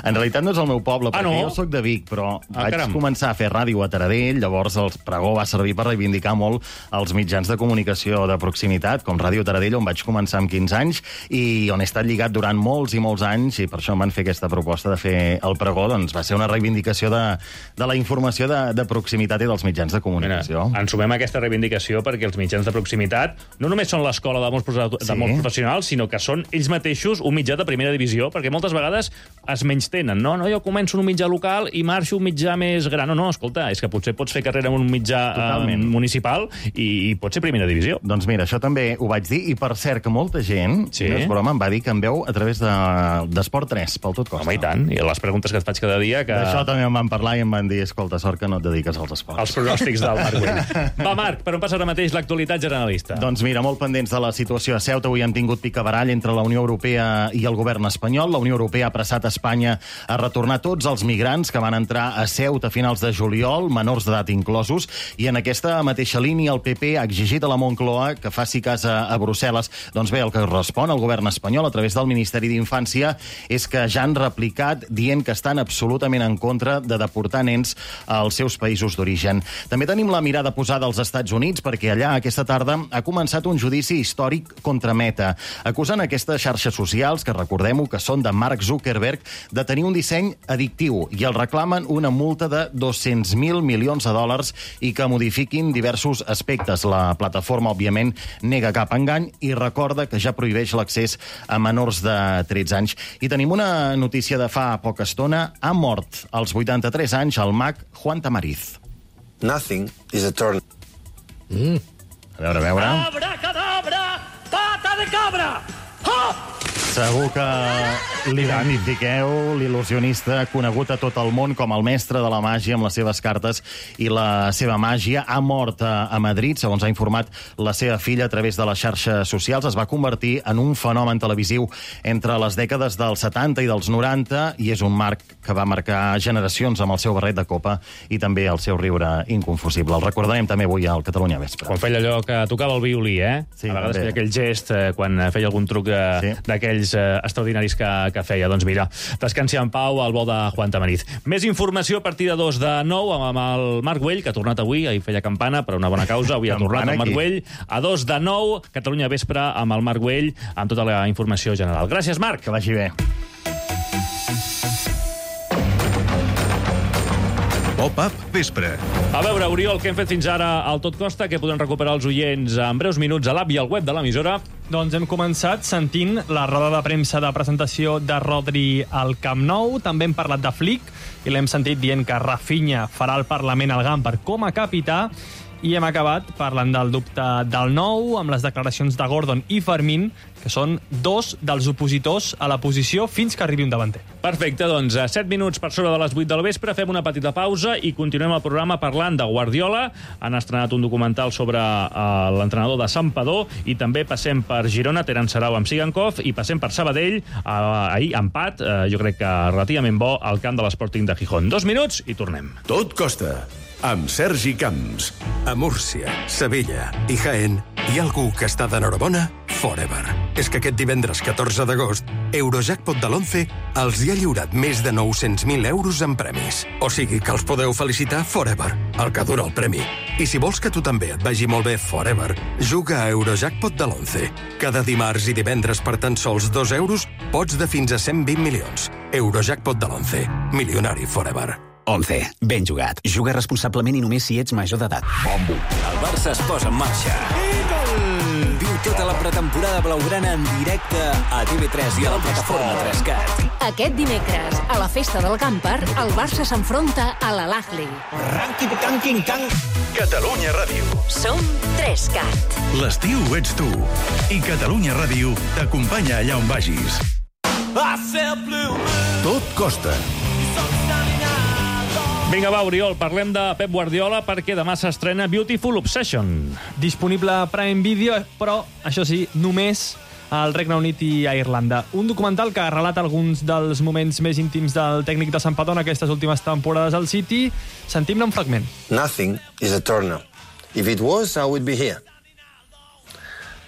En realitat no és el meu poble, perquè jo soc de Vic, però vaig començar a fer ràdio a Taradell, llavors el pregó va servir per reivindicar molt els mitjans de comunicació de proximitat, com Ràdio Taradell, on vaig començar amb 15 anys, i on he estat lligat durant molts i molts anys, i per això em van fer aquesta proposta de fer el pregó, doncs va ser una reivindicació de la informació de proximitat i dels mitjans de comunicació. Mira, ens sumem a aquesta reivindicació perquè els mitjans de proximitat no només són l'escola de molts professionals, sinó que són ells mateixos un mitjà de primera divisió, perquè moltes vegades es menystenen, no, jo començo en un mitjà local i marxo un mitjà més gran. No, escolta, és que potser pots fer carrera en un mitjà municipal i pot ser primera divisió. Doncs mira, això també ho vaig dir, i per cert que molta gent, no és broma, em va dir que em veu a través d'Esport 3, pel Tot Costa. Home, i tant, i les preguntes que et faig cada dia... D'això també em van parlar i em van dir, escolta, sort que no et dediques als esports. Els pronòstics del Marc Güell. Va, Marc, per on passa ara mateix l'actualitat generalista? Doncs mira, molt pendents de la situació a Ceuta. Avui hem tingut picabarall entre la Unió Europea i el govern espanyol. La Unió Europea ha apressat Espanya a retornar tots els migrants que van entrar a Ceuta a finals de juliol, menors d'edat inclosos, i en aquesta mateixa línia el PP ha exigit a la Moncloa que faci cas a Brussel·les. Doncs bé, el que respon el govern espanyol a través del Ministeri d'Infància és que ja han replicat dient que estan absolutament en contra de deportar nens als seus països d'origen. També tenim la mirada posada als Estats Units perquè allà aquesta tarda ha començat un judici històric contra Meta, acusant aquestes xarxes socials, que recordem-ho, que són de Mark Zuckerberg, de tenir un disseny addictiu, i el reclamen una multa de 200.000 milions de dòlars i que modifiquin diversos aspectes. La plataforma, òbviament, nega cap engany i recorda que ja prohibeix l'accés a menors de 13 anys. I tenim una notícia de fa poca estona. Ha mort als 83 anys el mag Juan Tamariz. Nothing is eternal. A veure. Abracadabra! Pata de cabra! Hop! Segur que l'identifiqueu, l'il·lusionista conegut a tot el món com el mestre de la màgia amb les seves cartes i la seva màgia. Ha mort a Madrid, segons ha informat la seva filla a través de les xarxes socials. Es va convertir en un fenomen televisiu entre les dècades dels 70 i dels 90 i és un marc que va marcar generacions amb el seu barret de copa i també el seu riure inconfusible. El recordarem també avui al Catalunya Vespre. Quan feia allò que tocava el violí, Sí, a vegades feia aquell gest quan feia algun truc d'aquells extraordinaris que feia. Doncs mira, descansi en pau al vol de Juan Tamariz. Més informació a partir de 2 de 9 amb el Marc Güell, que ha tornat avui, ahir feia campana per una bona causa, avui ha tornat el Marc Güell. A 2 de 9, Catalunya Vespre amb el Marc Güell, amb tota la informació general. Gràcies, Marc. Que vagi bé. Pop-up Vespre. A veure, Oriol, què hem fet fins ara al Tot Costa, que podran recuperar els oients en breus minuts a l'app i al web de l'emissora. Doncs hem començat sentint la roda de premsa de presentació de Rodri al Camp Nou. També hem parlat de Flick i l'hem sentit dient que Rafinha farà el Parlament al Gamper com a capità. I hem acabat parlant del dubte del Nou, amb les declaracions de Gordon i Fermín, que són 2 dels opositors a la posició fins que arribi un davanter. Perfecte, doncs a 7 minuts per sobre de les 8 del vespre fem una petita pausa i continuem el programa parlant de Guardiola. Han estrenat un documental sobre l'entrenador de Santpedor i també passem per Girona, Terán Sarau amb Sigankov, i passem per Sabadell, ahir empat, jo crec que relativament bo, al camp de l'Sporting de Gijón. 2 minuts i tornem. Tot Costa, amb Sergi Camps. A Múrcia, Sevilla i Jaén hi ha algú que està d'enhorabona forever. És que aquest divendres 14 d'agost, Eurojackpot de l'11 els hi ha lliurat més de 900.000 euros en premis. O sigui que els podeu felicitar forever, el que dura el premi. I si vols que tu també et vagi molt bé forever, juga a Eurojackpot de l'11. Cada dimarts i divendres per tan sols 2 euros pots de fins a 120 milions. Eurojackpot de l'11. Milionari forever. 11. Ben jugat. Juga responsablement i només si ets major d'edat. Bombo. El Barça es posa en marxa. Viu tota la pretemporada blaugrana en directe a TV3 i a la plataforma 3CAT. Aquest dimecres, a la festa del Gamper, el Barça s'enfronta a l'Al-Ahly. Catalunya Ràdio. Som 3CAT. L'estiu ets tu. I Catalunya Ràdio t'acompanya allà on vagis. Tot costa. Vinga, va, Oriol, parlem de Pep Guardiola perquè demà s'estrena Beautiful Obsession. Disponible a Prime Video, però, això sí, només al Regne Unit i a Irlanda. Un documental que relata alguns dels moments més íntims del tècnic de Santpedor en aquestes últimes temporades al City. Sentim-ne un fragment. Nothing is eternal. If it was, I would be here.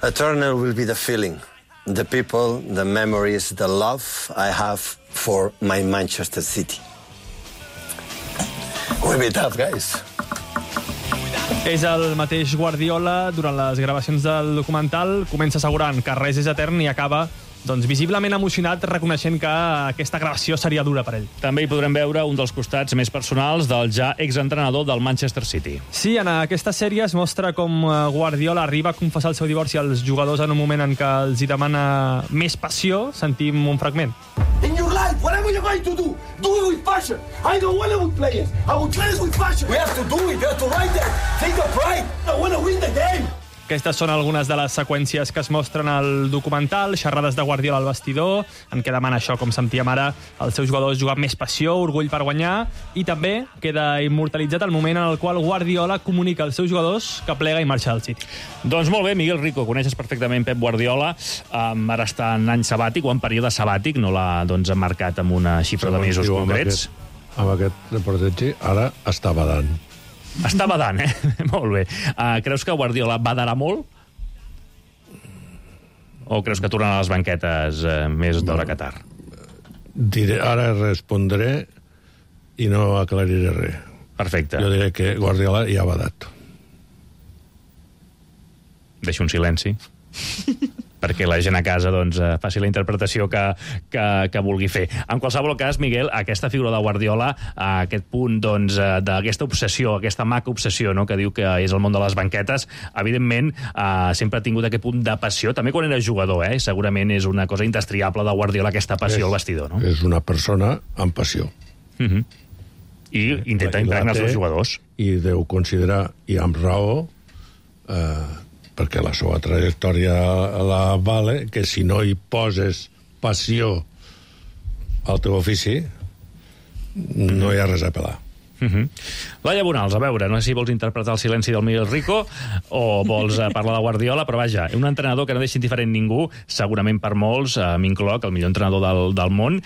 Eternal will be the feeling, the people, the memories, the love I have for my Manchester City. We'll be tough, guys. És el mateix Guardiola, durant les gravacions del documental, comença assegurant que res és etern i acaba visiblement emocionat, reconeixent que aquesta gravació seria dura per ell. També hi podrem veure un dels costats més personals del ja exentrenador del Manchester City. Sí, en aquesta sèrie es mostra com Guardiola arriba a confessar el seu divorci als jugadors en un moment en què els hi demana més passió. Sentim un fragment. In your life, whatever you're going to do it with passion. I don't want it with players. I will play it with passion. We have to do it. We have to write that. Take a pride. I want to win the game. Aquestes són algunes de les seqüències que es mostren al documental, xerrades de Guardiola al vestidor, en què demana això, com sentíem ara, als seus jugadors jugar amb més passió, orgull per guanyar, i també queda immortalitzat el moment en el qual Guardiola comunica als seus jugadors que plega i marxa del City. Doncs molt bé, Miguel Rico, coneixes perfectament Pep Guardiola, ara està en any sabàtic o en període sabàtic, no l'ha marcat amb una xifra de mesos concrets. Amb aquest reportatge, ara està badant. Està badant, Molt bé. Creus que Guardiola badarà molt? O creus que tornarà a les banquetes més d'hora que tard? Ara respondré i no aclariré res. Perfecte. Jo diré que Guardiola ja ha badat. Deixo un silenci. perquè la gent a casa faci la interpretació que vulgui fer. En qualsevol cas, Miguel, aquesta figura de Guardiola, aquest punt d'aquesta obsessió, aquesta maca obsessió, no?, que diu que és el món de les banquetes, evidentment sempre ha tingut aquest punt de passió, també quan era jugador, segurament és una cosa indestriable de Guardiola, aquesta passió al vestidor, no? És una persona amb passió. I intenta impregnar els seus jugadors. I deu considerar, i amb raó, perquè la seva trajectòria la vale, que si no hi poses passió al teu ofici, no hi ha res a pelar. Laia Bonals, a veure, no sé si vols interpretar el silenci del Miguel Rico o vols parlar de Guardiola, però vaja, un entrenador que no deixa indiferent ningú, segurament per molts, m'incloc, el millor entrenador del món,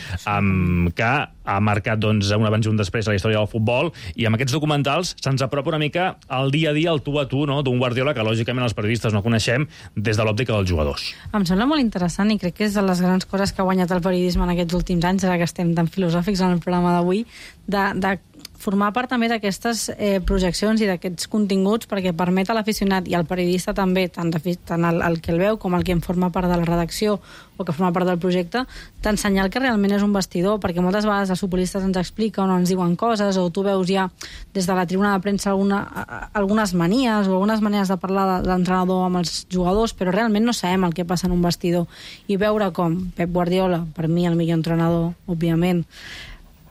que ha marcat un abans i un després a la història del futbol, i amb aquests documentals se'ns apropa una mica al dia a dia, al tu a tu, d'un Guardiola que lògicament els periodistes no coneixem des de l'òptica dels jugadors. Em sembla molt interessant i crec que és de les grans coses que ha guanyat el periodisme en aquests últims anys, ara que estem tan filosòfics en el programa d'avui, de formar part també d'aquestes projeccions i d'aquests continguts, perquè permet a l'aficionat i al periodista també, tant el que el veu com el que en forma part de la redacció o que forma part del projecte, t'ensenyar el que realment és un vestidor, perquè moltes vegades els futbolistes ens expliquen o ens diuen coses, o tu veus ja des de la tribuna de premsa algunes manies o algunes maneres de parlar de l'entrenador amb els jugadors, però realment no sabem el que passa en un vestidor. I veure com Pep Guardiola, per mi el millor entrenador, òbviament,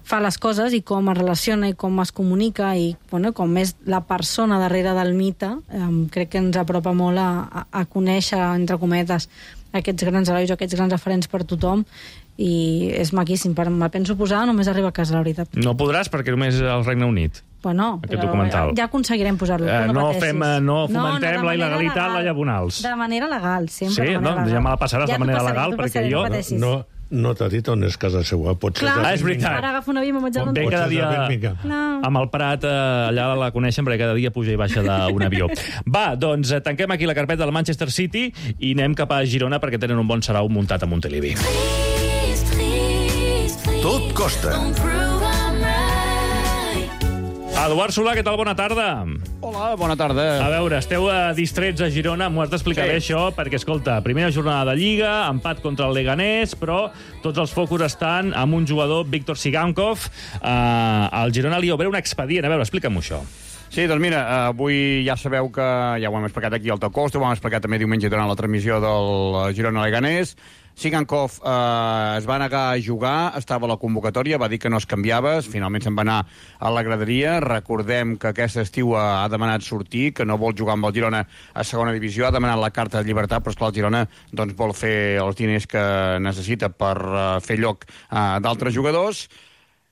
fa les coses i com es relaciona i com es comunica i com és la persona darrere del mite, crec que ens apropa molt a conèixer, entre cometes, aquests grans herois o aquests grans referents per tothom, i és maquíssim. Me'l penso posar, només arriba a casa, la veritat. No podràs, perquè només al Regne Unit. Bueno, però ja aconseguirem posar-lo. No fomentem la il·legalitat, Laia Bonals. De manera legal, sempre. Sí, ja me la passaràs de manera legal, perquè jo... No t'ha dit on és casa seva. Clar, és veritat. Ara agafo una via i me'n vaig a Londres. Ve cada dia amb el Prat, allà la coneixen, perquè cada dia puja i baixa d'un avió. Va, doncs tanquem aquí la carpeta del Manchester City i anem cap a Girona perquè tenen un bon sarau muntat a Montilivi. Tot costa. Eduard Solà, què tal? Bona tarda. Hola, bona tarda. A veure, esteu distrets a Girona, m'ho has d'explicar bé això, perquè, escolta, primera jornada de Lliga, empat contra el Leganés, però tots els focus estan amb un jugador, Víctor Sigankov. Al Girona li obre un expedient. A veure, explica'm això. Sí, doncs mira, avui ja sabeu que ja ho hem explicat aquí al Tocosta, ho hem explicat també diumenge durant la transmissió del Girona-Leganés. Sigankov es va negar a jugar, estava a la convocatòria, va dir que no es canviava, finalment se'n va anar a la graderia. Recordem que aquest estiu ha demanat sortir, que no vol jugar amb el Girona a segona divisió, ha demanat la carta de llibertat, però esclar, el Girona vol fer els diners que necessita per fer lloc d'altres jugadors.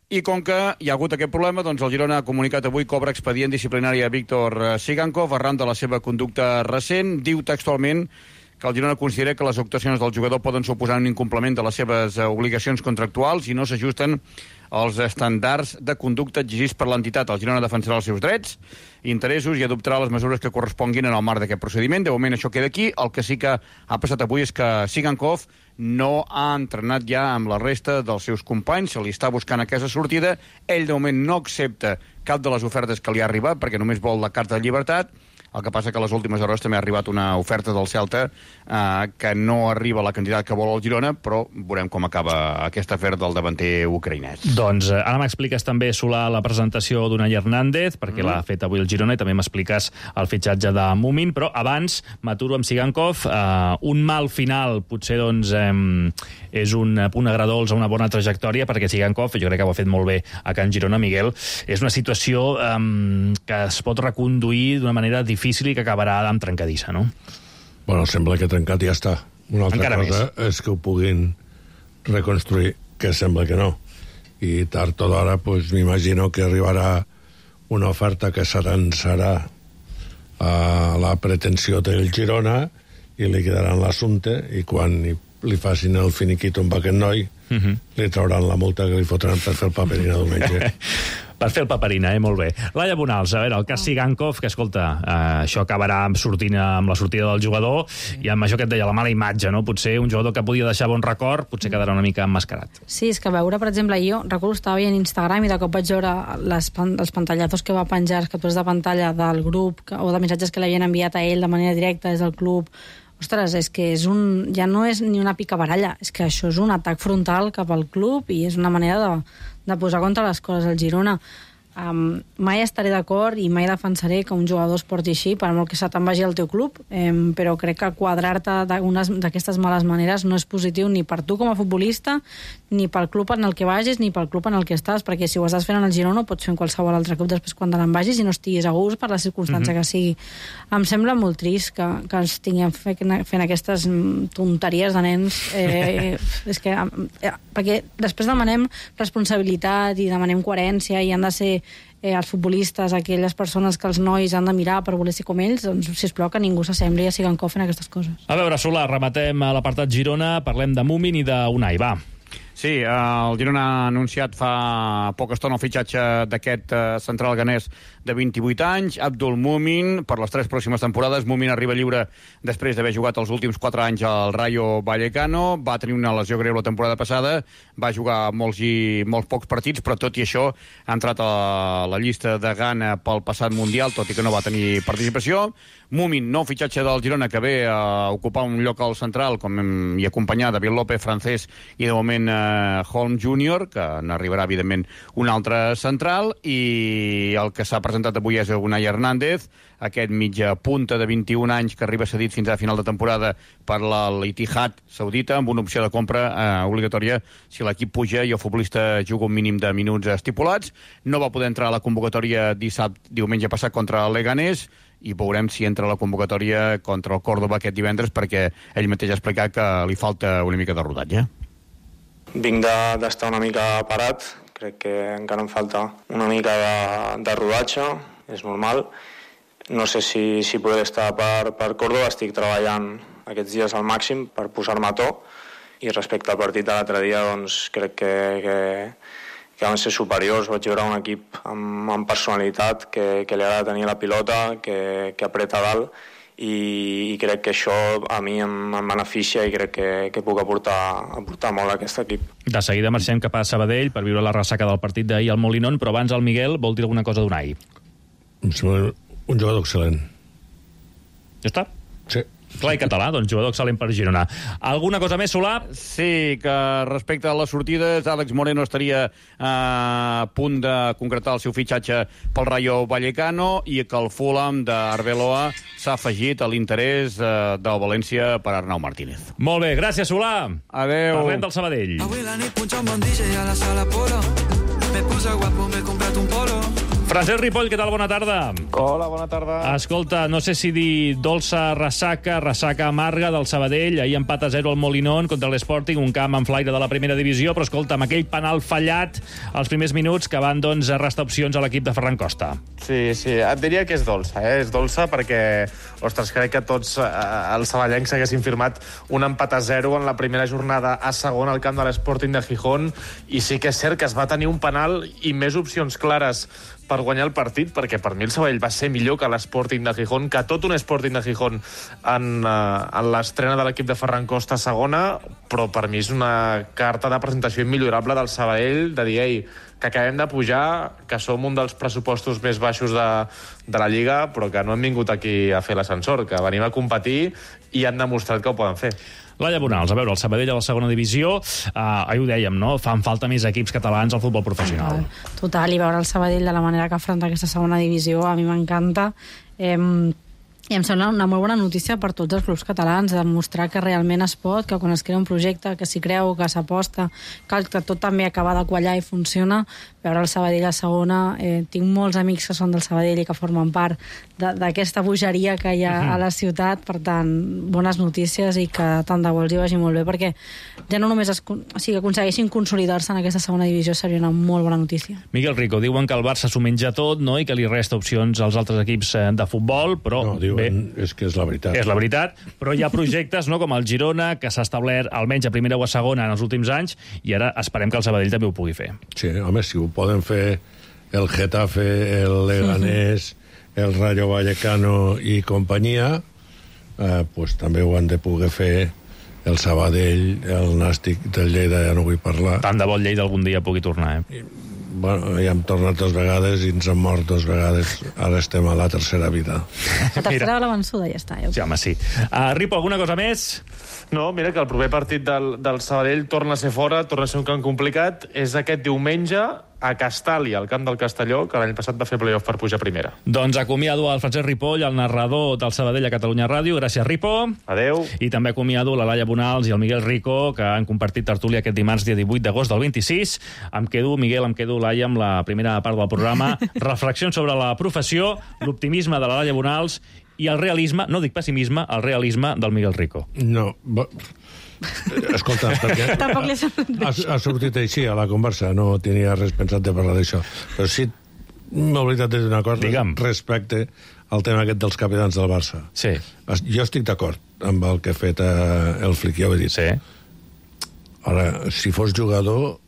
I com que hi ha hagut aquest problema, doncs el Girona ha comunicat avui que obre expedient disciplinari a Víctor Sigankov arran de la seva conducta recent. Diu textualment que el Girona considera que les actuacions del jugador poden suposar un incompliment de les seves obligacions contractuals i no s'ajusten als estàndards de conducta exigits per l'entitat. El Girona defensarà els seus drets i interessos i adoptarà les mesures que corresponguin en el marc d'aquest procediment. De moment això queda aquí. El que sí que ha passat avui és que Sigankov no ha entrenat ja amb la resta dels seus companys, se li està buscant aquesta sortida. Ell de moment no accepta cap de les ofertes que li ha arribat perquè només vol la carta de llibertat. El que passa que a les últimes hores també ha arribat una oferta del Celta que no arriba a la quantitat que vol el Girona, però veurem com acaba aquest afer del davanter ucraïnès. Doncs ara m'expliques també, Solà, la presentació d'Unai Hernández, perquè l'ha fet avui el Girona, i també m'expliques el fitxatge de Mumin, però abans m'aturo amb Sigankov. Un mal final potser doncs, és un punt agradolç a una bona trajectòria, perquè Sigankov, jo crec que ho ha fet molt bé a Can Girona, Miguel, és una situació que es pot reconduir d'una manera difícil i que acabarà amb trencadissa, no? Bueno, sembla que trencat ja està. Una altra encara cosa és que ho puguin reconstruir, que sembla que no. I tard o d'hora, pues, m'imagino que arribarà una oferta que serà a la pretensió del Girona i li quedaran l'assumpte i quan li facin el finiquito amb aquest noi li trauran la multa que li fotran per fer el paperina diumenge. Per fer el paperina, molt bé. Laia Bonals, a veure, el cas Sigankov, que, escolta, això acabarà sortint amb la sortida del jugador i amb això que et deia, la mala imatge, no? Potser un jugador que podia deixar bon record, potser quedarà una mica emmascarat. Sí, és que veure, per exemple, jo recordo estava veient Instagram i de cop vaig veure els pantallazos que va penjar, les captures de pantalla del grup o de missatges que l'havien enviat a ell de manera directa des del club. Ostres, és que ja no és ni una picabaralla, és que això és un atac frontal cap al club i és una manera de posar contra les coses al Girona. Mai estaré d'acord i mai defensaré que un jugador es porti així, per molt que se te'n vagi al teu club, però crec que quadrar-te d'aquestes males maneres no és positiu ni per tu com a futbolista, ni pel club en el que vagis, ni pel club en el que estàs, perquè si ho estàs fent en el Girona ho pots fer en qualsevol altre club després quan te n'en vagis i no estiguis a gust per la circumstància que sigui. Em sembla molt trist que ens tinguem fent aquestes tonteries de nens, és que, perquè després demanem responsabilitat i demanem coherència i han de ser els futbolistes, aquelles persones que els nois han de mirar per voler ser com ells, doncs sisplau que ningú s'assembli a Sigankov en aquestes coses. A veure, Solà, rematem a l'apartat Girona, parlem de Mumin i d'Unai, va. Sí, el Girona ha anunciat fa poca estona el fitxatge d'aquest central ganès de 28 anys, Abdul Mumin, per les 3 pròximes temporades. Mumin arriba lliure després d'haver jugat els últims 4 anys al Rayo Vallecano, va tenir una lesió greu la temporada passada, va jugar molts pocs partits, però tot i això ha entrat a la llista de Ghana pel passat Mundial, tot i que no va tenir participació. Mumin, nou fitxatge del Girona, que ve a ocupar un lloc al central, i acompanyar David López, francès, i de moment Holm Júnior, que n'arribarà, evidentment, un altre central, i el que s'ha presentat avui és Unai Hernández, aquest mitja punta de 21 anys que arriba cedit fins a final de temporada per l'Ittihad saudita, amb una opció de compra obligatòria si l'equip puja i el futbolista juga un mínim de minuts estipulats. No va poder entrar a la convocatòria diumenge passat contra el Leganés, i veurem si entra a la convocatòria contra el Córdoba aquest divendres, perquè ell mateix ha explicat que li falta una mica de rodatge. Vinc d'estar una mica parat, crec que encara em falta una mica de rodatge, és normal. No sé si podré estar per Córdoba, estic treballant aquests dies al màxim per posar-me a to, i respecte al partit de l'altre dia, doncs crec que van ser superiors. Vaig veure un equip amb personalitat, que li agrada tenir la pilota, que apreta dalt, i crec que això a mi em beneficia i crec que puc aportar molt a aquest equip. De seguida marxem cap a Sabadell per viure la ressaca del partit d'ahir al Molinón, però abans el Miguel vol dir alguna cosa d'Unai. Em sembla un jugador excel·lent. Ja està? Sí. Clar i català, doncs jugador excel·lent per Girona. Alguna cosa més, Solà? Sí, que respecte a les sortides, Àlex Moreno estaria a punt de concretar el seu fitxatge pel Rayo Vallecano i que el Fulham d'Arbeloa s'ha afegit a l'interès del València per Arnau Martínez. Molt bé, gràcies, Solà. Adéu. Parlem del Sabadell. Avui la nit punxa un bon DJ a la sala Polo. Me puse guapo, me he comprat un polo. Francesc Ripoll, què tal? Bona tarda. Hola, bona tarda. Escolta, no sé si dir dolça ressaca amarga del Sabadell. Ahir empat a 0 al Molinón contra l'Sporting, un camp en flaire de la primera divisió, però escolta, amb aquell penal fallat als primers minuts que van, doncs, restar opcions a l'equip de Ferran Costa. Sí, et diria que és dolça, És dolça perquè, ostres, crec que tots els saballencs haguessin firmat un empat a 0 en la primera jornada a segona al camp de l'Sporting de Gijón, i sí que és cert que es va tenir un penal i més opcions clares per guanyar el partit, perquè per mi el Sabadell va ser millor que l'Sporting de Gijón, que tot un Sporting de Gijón en l'estrena de l'equip de Ferran Costa a segona, però per mi és una carta de presentació immillorable del Sabadell, de dir, ei, que acabem de pujar, que som un dels pressupostos més baixos de la Lliga, però que no hem vingut aquí a fer l'ascensor, que venim a competir i han demostrat que ho poden fer. Laia Bonals, a veure, el Sabadell a la segona divisió, ahir ho dèiem, no? Fan falta més equips catalans al futbol professional. Total, i veure el Sabadell de la manera que afronta aquesta segona divisió a mi m'encanta. I em sembla una molt bona notícia per tots els clubs catalans, demostrar que realment es pot, que quan es crea un projecte, que s'hi creu, que s'aposta, que tot també acaba de quallar i funciona. Veure el Sabadell a segona, tinc molts amics que són del Sabadell i que formen part d'aquesta bogeria que hi ha a la ciutat, per tant, bones notícies i que tant de bo els hi vagi molt bé, perquè ja no només que aconsegueixin consolidar-se en aquesta segona divisió seria una molt bona notícia. Miguel Rico, diuen que el Barça s'ho menja tot, no?, i que li resta opcions als altres equips de futbol, però... No, diuen, és que és la veritat. És la veritat, però hi ha projectes, no?, com el Girona, que s'ha establert almenys a primera o a segona en els últims anys, i ara esperem que el Sabadell també ho pugui fer. Sí, home, si ho poden fer el Getafe, el Leganés, el Rayo Vallecano i companyia, pues també ho han de poder fer el Sabadell, el Nàstic del Lleida, ja no vull parlar. Tant de bo el Lleida algun dia pugui tornar, Bueno, ja hem tornat 2 vegades i ens hem mort 2 vegades. Ara estem a la tercera vida. La tercera va la vençuda, ja està. Sí, home, sí. Ripo, alguna cosa més? No, mira que el proper partit del Sabadell torna a ser fora, torna a ser un camp complicat. És aquest diumenge a Castàlia, al camp del Castelló, que l'any passat va fer playoff per pujar a primera. Doncs acomiado el Francesc Ripoll, el narrador del Sabadell a Catalunya Ràdio. Gràcies, Ripo. Adeu. I també acomiado la Laia Bonals i el Miguel Rico, que han compartit tertúlia aquest dimarts, dia 18 d'agost del 26. Em quedo, Miguel, Laia, amb la primera part del programa. Reflexions sobre la professió, l'optimisme de la Laia Bonals i el realisme, no dic pessimisme, el realisme del Miguel Rico. No, escolta, perquè ha sortit així a la conversa, no tenia res pensat de parlar d'això, però sí m'he oblidat de dir una cosa respecte al tema aquest dels capitans del Barça. Sí. Jo estic d'acord amb el que ha fet el Flick, ja ho he dit. Sí. Ara, si fos jugador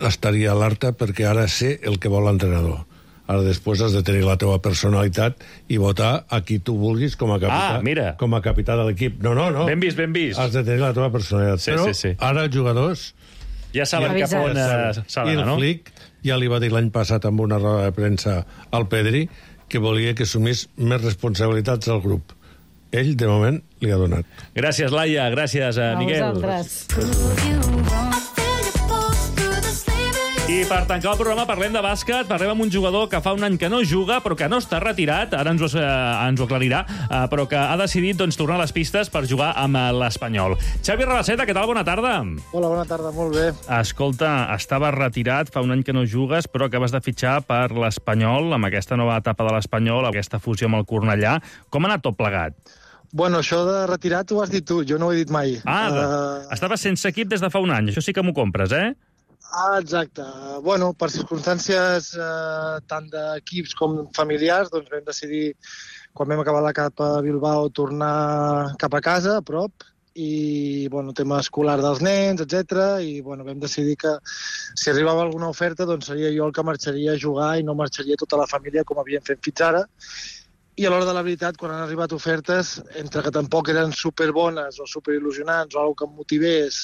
estaria alerta perquè ara sé el que vol l'entrenador. Ara després has de tenir la teva personalitat i votar a qui tu vulguis com a capità, com a capità de l'equip. No. Ben vist, ben vist. Has de tenir la teva personalitat. Però ara els jugadors... Ja saben cap on s'ha d'anar, no? I el Flick ja li va dir l'any passat amb una roda de premsa al Pedri que volia que assumís més responsabilitats al grup. Ell, de moment, li ha donat. Gràcies, Laia. Gràcies, Miguel. A vosaltres. I per tancar el programa parlem de bàsquet, parlem amb un jugador que fa un any que no juga, però que no està retirat, ara ens ho aclarirà, però que ha decidit tornar a les pistes per jugar amb l'Espanyol. Xavi Rabaseta, què tal? Bona tarda. Hola, bona tarda, molt bé. Escolta, estaves retirat, fa un any que no jugues, però acabes de fitxar per l'Espanyol, amb aquesta nova etapa de l'Espanyol, aquesta fusió amb el Cornellà. Com ha anat tot plegat? Bueno, això de retirat ho has dit tu, jo no ho he dit mai. Estaves sense equip des de fa un any, això sí que m'ho compres, Exacte. Bueno, per circumstàncies tant d'equips com familiars, doncs vam decidir, quan vam acabar l'etapa a Bilbao, tornar cap a casa, a prop, i, bueno, tema escolar dels nens, etc. I, bueno, vam decidir que si arribava alguna oferta, doncs seria jo el que marxaria a jugar i no marxaria tota la família com havíem fet fins ara. I a l'hora de la veritat, quan han arribat ofertes, entre que tampoc eren superbones o superil·lusionants o alguna que em motivés,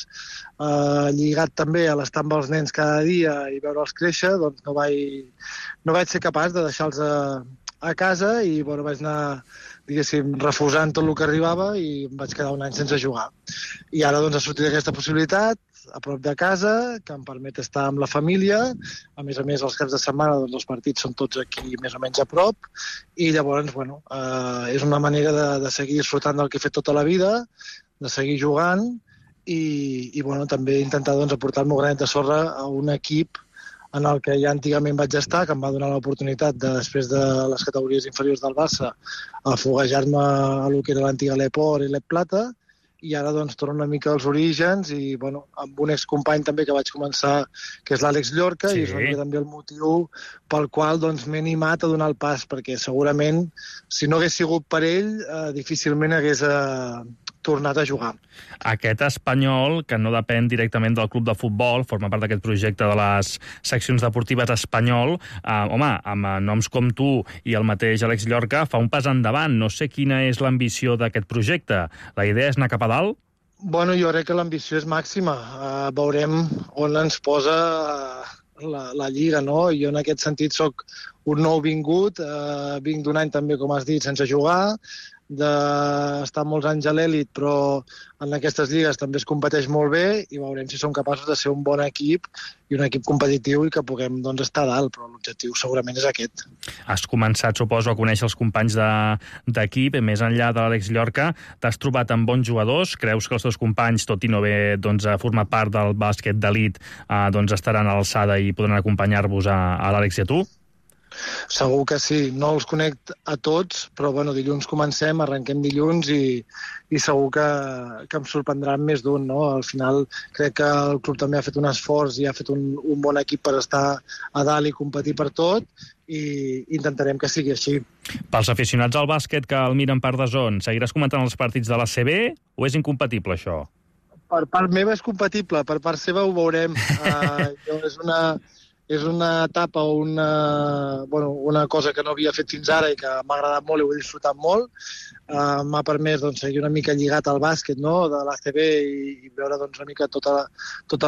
lligat també a l'estar amb els nens cada dia i veure'ls créixer, doncs no vaig ser capaç de deixar-los a casa i, bueno, vaig anar, diguéssim, refusant tot el que arribava i em vaig quedar un any sense jugar. I ara, doncs, ha sortit aquesta possibilitat, a prop de casa, que em permet estar amb la família. A més, els caps de setmana, doncs, els partits són tots aquí més o menys a prop, i llavors, bueno, és una manera de seguir disfrutant del que he fet tota la vida, de seguir jugant, i bueno, també intentar, doncs, aportar el meu granet de sorra a un equip en el que ja antigament vaig estar, que em va donar l'oportunitat, després de les categories inferiors del Barça, a foguejar-me a lo que era l'antiga l'Eport i l'Eplata, i ara doncs torno una mica als orígens i bueno, amb un excompany també que vaig començar, que és l'Àlex Llorca, i és una mica també el motiu pel qual doncs, m'he animat a donar el pas, perquè segurament si no hagués sigut per ell difícilment hagués tornat a jugar. Aquest Espanyol, que no depèn directament del club de futbol, forma part d'aquest projecte de les seccions deportives Espanyol, home, amb noms com tu i el mateix Àlex Llorca, fa un pas endavant. No sé quina és l'ambició d'aquest projecte. La idea és anar cap a dalt? Bueno, jo crec que l'ambició és màxima. Veurem on ens posa la Lliga, no? Jo en aquest sentit sóc un nou vingut, vinc d'un any també, com has dit, sense jugar, d'estar molts anys a l'èlit, però en aquestes lligues també es competeix molt bé i veurem si som capaços de ser un bon equip i un equip competitiu i que puguem doncs, estar a dalt, però l'objectiu segurament és aquest. Has començat, suposo, a conèixer els companys d'equip, més enllà de l'Àlex Llorca, t'has trobat amb bons jugadors? Creus que els teus companys, tot i no haver format part del bàsquet d'elit, estaran a l'alçada i podran acompanyar-vos a l'Àlex i a tu? Segur que sí, no els conec a tots, però bueno, dilluns comencem, arrenquem dilluns i segur que em sorprendran més d'un, no? Al final crec que el club també ha fet un esforç i ha fet un bon equip per estar a dalt i competir per tot i intentarem que sigui així. Pels aficionats al bàsquet que el miren per DAZN, seguiràs comentant els partits de l'ACB o és incompatible això? Per part meva és compatible, per part seva ho veurem. És una etapa o una cosa que no havia fet fins ara i que m'ha agradat molt i ho he disfrutat molt. M'ha permès seguir una mica lligat al bàsquet, no?, de l'ACB i veure una mica tota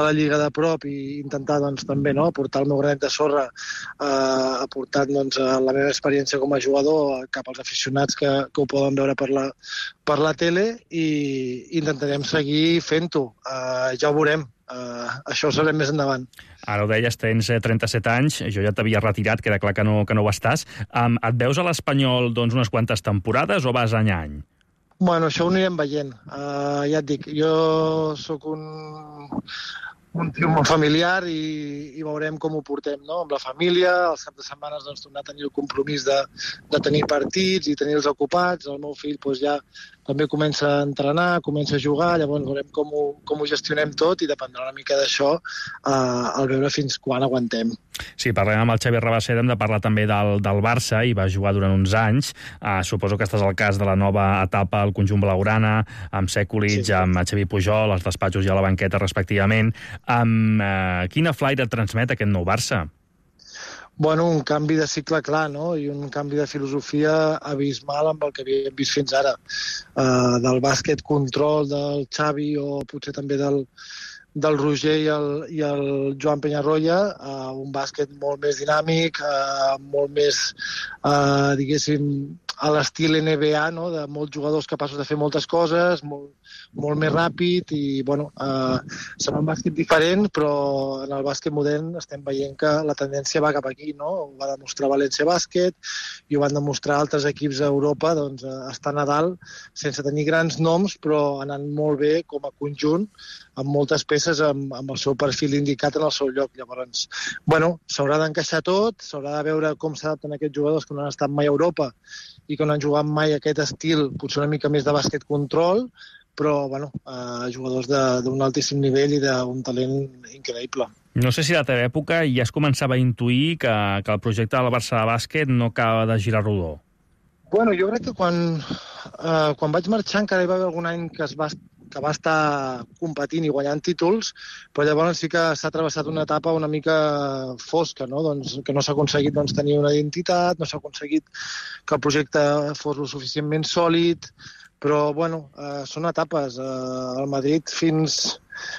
la lliga de prop i intentar també aportar el meu granet de sorra, aportant la meva experiència com a jugador cap als aficionats que ho poden veure per la tele i intentarem seguir fent-ho. Ja ho veurem. Això ho sabrem més endavant. Ara ho deies, tens 37 anys, jo ja t'havia retirat, queda clar que no ho estàs. Et veus a l'Espanyol unes quantes temporades o vas any a any? Bueno, això ho anirem veient. Ja et dic, jo sóc un tio molt familiar i veurem com ho portem, no? Amb la família, els caps de setmanes tornar a tenir el compromís de tenir partits i tenir-los ocupats. El meu fill ja també comença a entrenar, comença a jugar, llavors veurem com ho gestionem tot i dependrà una mica d'això al veure fins quan aguantem. Sí, parlem amb el Xavi Rabaseda, hem de parlar també del Barça, i va jugar durant uns anys. Suposo que estàs al cas de la nova etapa al conjunt blaugrana, amb Sekulic, sí. Amb Xavi Pujol, als despatxos i a la banqueta, respectivament. Quina flaire et transmet aquest nou Barça? Bueno, un canvi de cicle clar, no? I un canvi de filosofia abismal amb el que havíem vist fins ara. Del bàsquet control del Xavi o potser també del Roger i el Joan Peñarroya, un bàsquet molt més dinàmic, molt més, diguéssim, a l'estil NBA, no? De molts jugadors capaços de fer moltes coses, molt més ràpid i, bueno, serà un bàsquet diferent, però en el bàsquet modern estem veient que la tendència va cap aquí, no? Ho va demostrar València Bàsquet i ho van demostrar altres equips a Europa, doncs, estan a dalt sense tenir grans noms, però anant molt bé com a conjunt, amb moltes peces amb el seu perfil indicat en el seu lloc. Llavors, bueno, s'haurà d'encaixar tot, s'haurà de veure com s'adapten aquests jugadors que no han estat mai a Europa i que no han jugat mai aquest estil, potser una mica més de bàsquet control, però, bueno, jugadors d'un altíssim nivell i d'un talent increïble. No sé si a la teva època ja es començava a intuir que el projecte del Barça de bàsquet no acaba de girar rodó. Bueno, jo crec que quan vaig marxar encara hi va haver algun any que va estar competint i guanyant títols, però llavors sí que s'ha travessat una etapa una mica fosca, no? Doncs, que no s'ha aconseguit tenir una identitat, no s'ha aconseguit que el projecte fos lo suficientment sòlid, però bueno, són etapes. El Madrid fins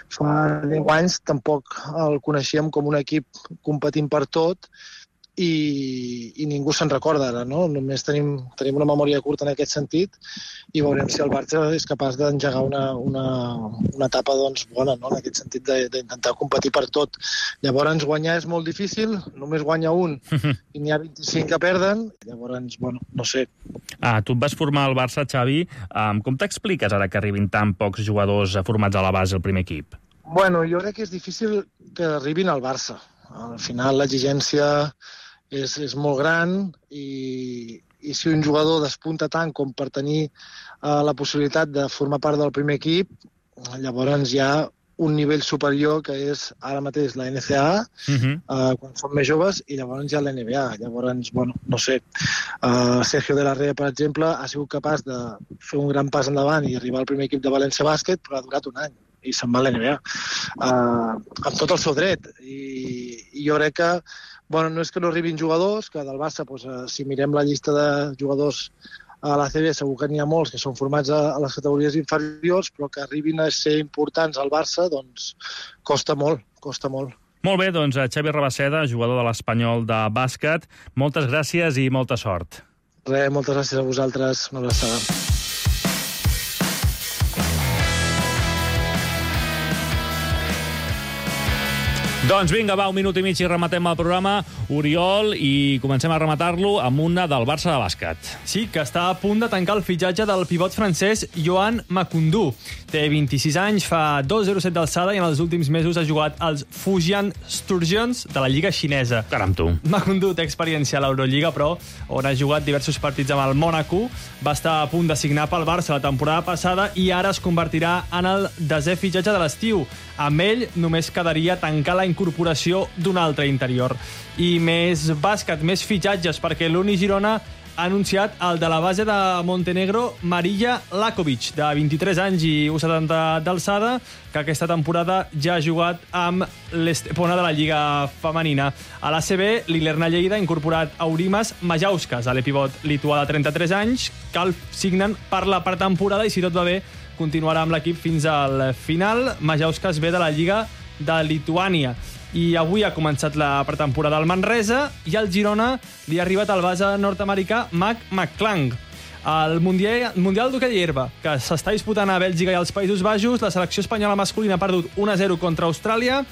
fa 10 anys tampoc el coneixíem com un equip competint per tot, i ningú se'n recorda ara, no? Només tenim una memòria curta en aquest sentit i veurem si el Barça és capaç d'engegar una etapa bona, no? En aquest sentit d'intentar competir per tot. Llavors guanyar és molt difícil, només guanya un i n'hi ha 25 que perden, llavors, bueno, no sé. Tu et vas formar al Barça, Xavi. Com t'expliques ara que arribin tan pocs jugadors formats a la base al primer equip? Bueno, jo crec que és difícil que arribin al Barça. Al final l'exigència és molt gran i si un jugador despunta tant com per tenir la possibilitat de formar part del primer equip, llavors hi ha un nivell superior que és ara mateix la NCAA, quan són més joves, i llavors hi ha la NBA. Llavors, bueno, no sé, Sergio de la Rea, per exemple, ha sigut capaç de fer un gran pas endavant i arribar al primer equip de València Bàsquet, però ha durat un any i se'n va a la NBA. Amb tot el seu dret. I jo crec que, bueno, no és que no arribin jugadors, que del Barça, doncs, si mirem la llista de jugadors a la CB, segur que n'hi ha molts que són formats a les categories inferiors, però que arribin a ser importants al Barça, doncs costa molt, costa molt. Molt bé, doncs Xavi Rabaseda, jugador de l'Espanyol de bàsquet, moltes gràcies i molta sort. Res, moltes gràcies a vosaltres, una abraçada. Doncs vinga, va, un minut i mig i rematem el programa. Oriol, i comencem a rematar-lo amb una del Barça de bàsquet. Sí, que està a punt de tancar el fitxatge del pivot francès Yohan Makoundou. Té 26 anys, fa 2,07 d'alçada i en els últims mesos ha jugat als Fujian Sturgeons de la Lliga xinesa. Caram, tu. Makoundou té experiència a l'Eurolliga, però on ha jugat diversos partits amb el Mònaco. Va estar a punt de signar pel Barça la temporada passada i ara es convertirà en el 10è fitxatge de l'estiu. Amb ell només quedaria tancar la incorporació d'un altre interior. I més bàsquet, més fitxatges, perquè l'Uni Girona ha anunciat el de la base de Montenegro, Marija Lakovic, de 23 anys i 1,70 d'alçada, que aquesta temporada ja ha jugat amb l'Estepona de la Lliga Femenina. A l'ACB, l'Ilerna Lleida ha incorporat Aurimas Majauskas, a l'epivot lituà de 33 anys, que el signen per la pretemporada i, si tot va bé, continuarà amb l'equip fins al final. Majauskas ve de la Lliga de Lituània. I avui ha començat la pretemporada al Manresa i al Girona li ha arribat el base nord-americà Mac McClung. Al Mundial d'Hoquei Herba, que s'està disputant a Bèlgica i als Països Baixos, la selecció espanyola masculina ha perdut 1-0 contra Austràlia,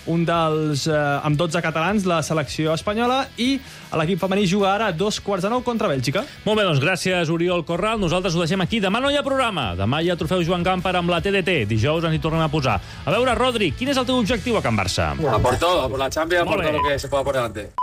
un dels amb 12 catalans, la selecció espanyola, i l'equip femení juga ara a 8:45 contra Bèlgica. Molt bé, doncs gràcies, Oriol Corral. Nosaltres ho deixem aquí. Demà no hi ha programa. Demà hi ha trofeu Joan Gamper amb la TDT. Dijous ens hi tornem a posar. A veure, Rodri, quin és el teu objectiu a Can Barça? A por todo, a por la Champions, a por todo lo que se pueda por delante.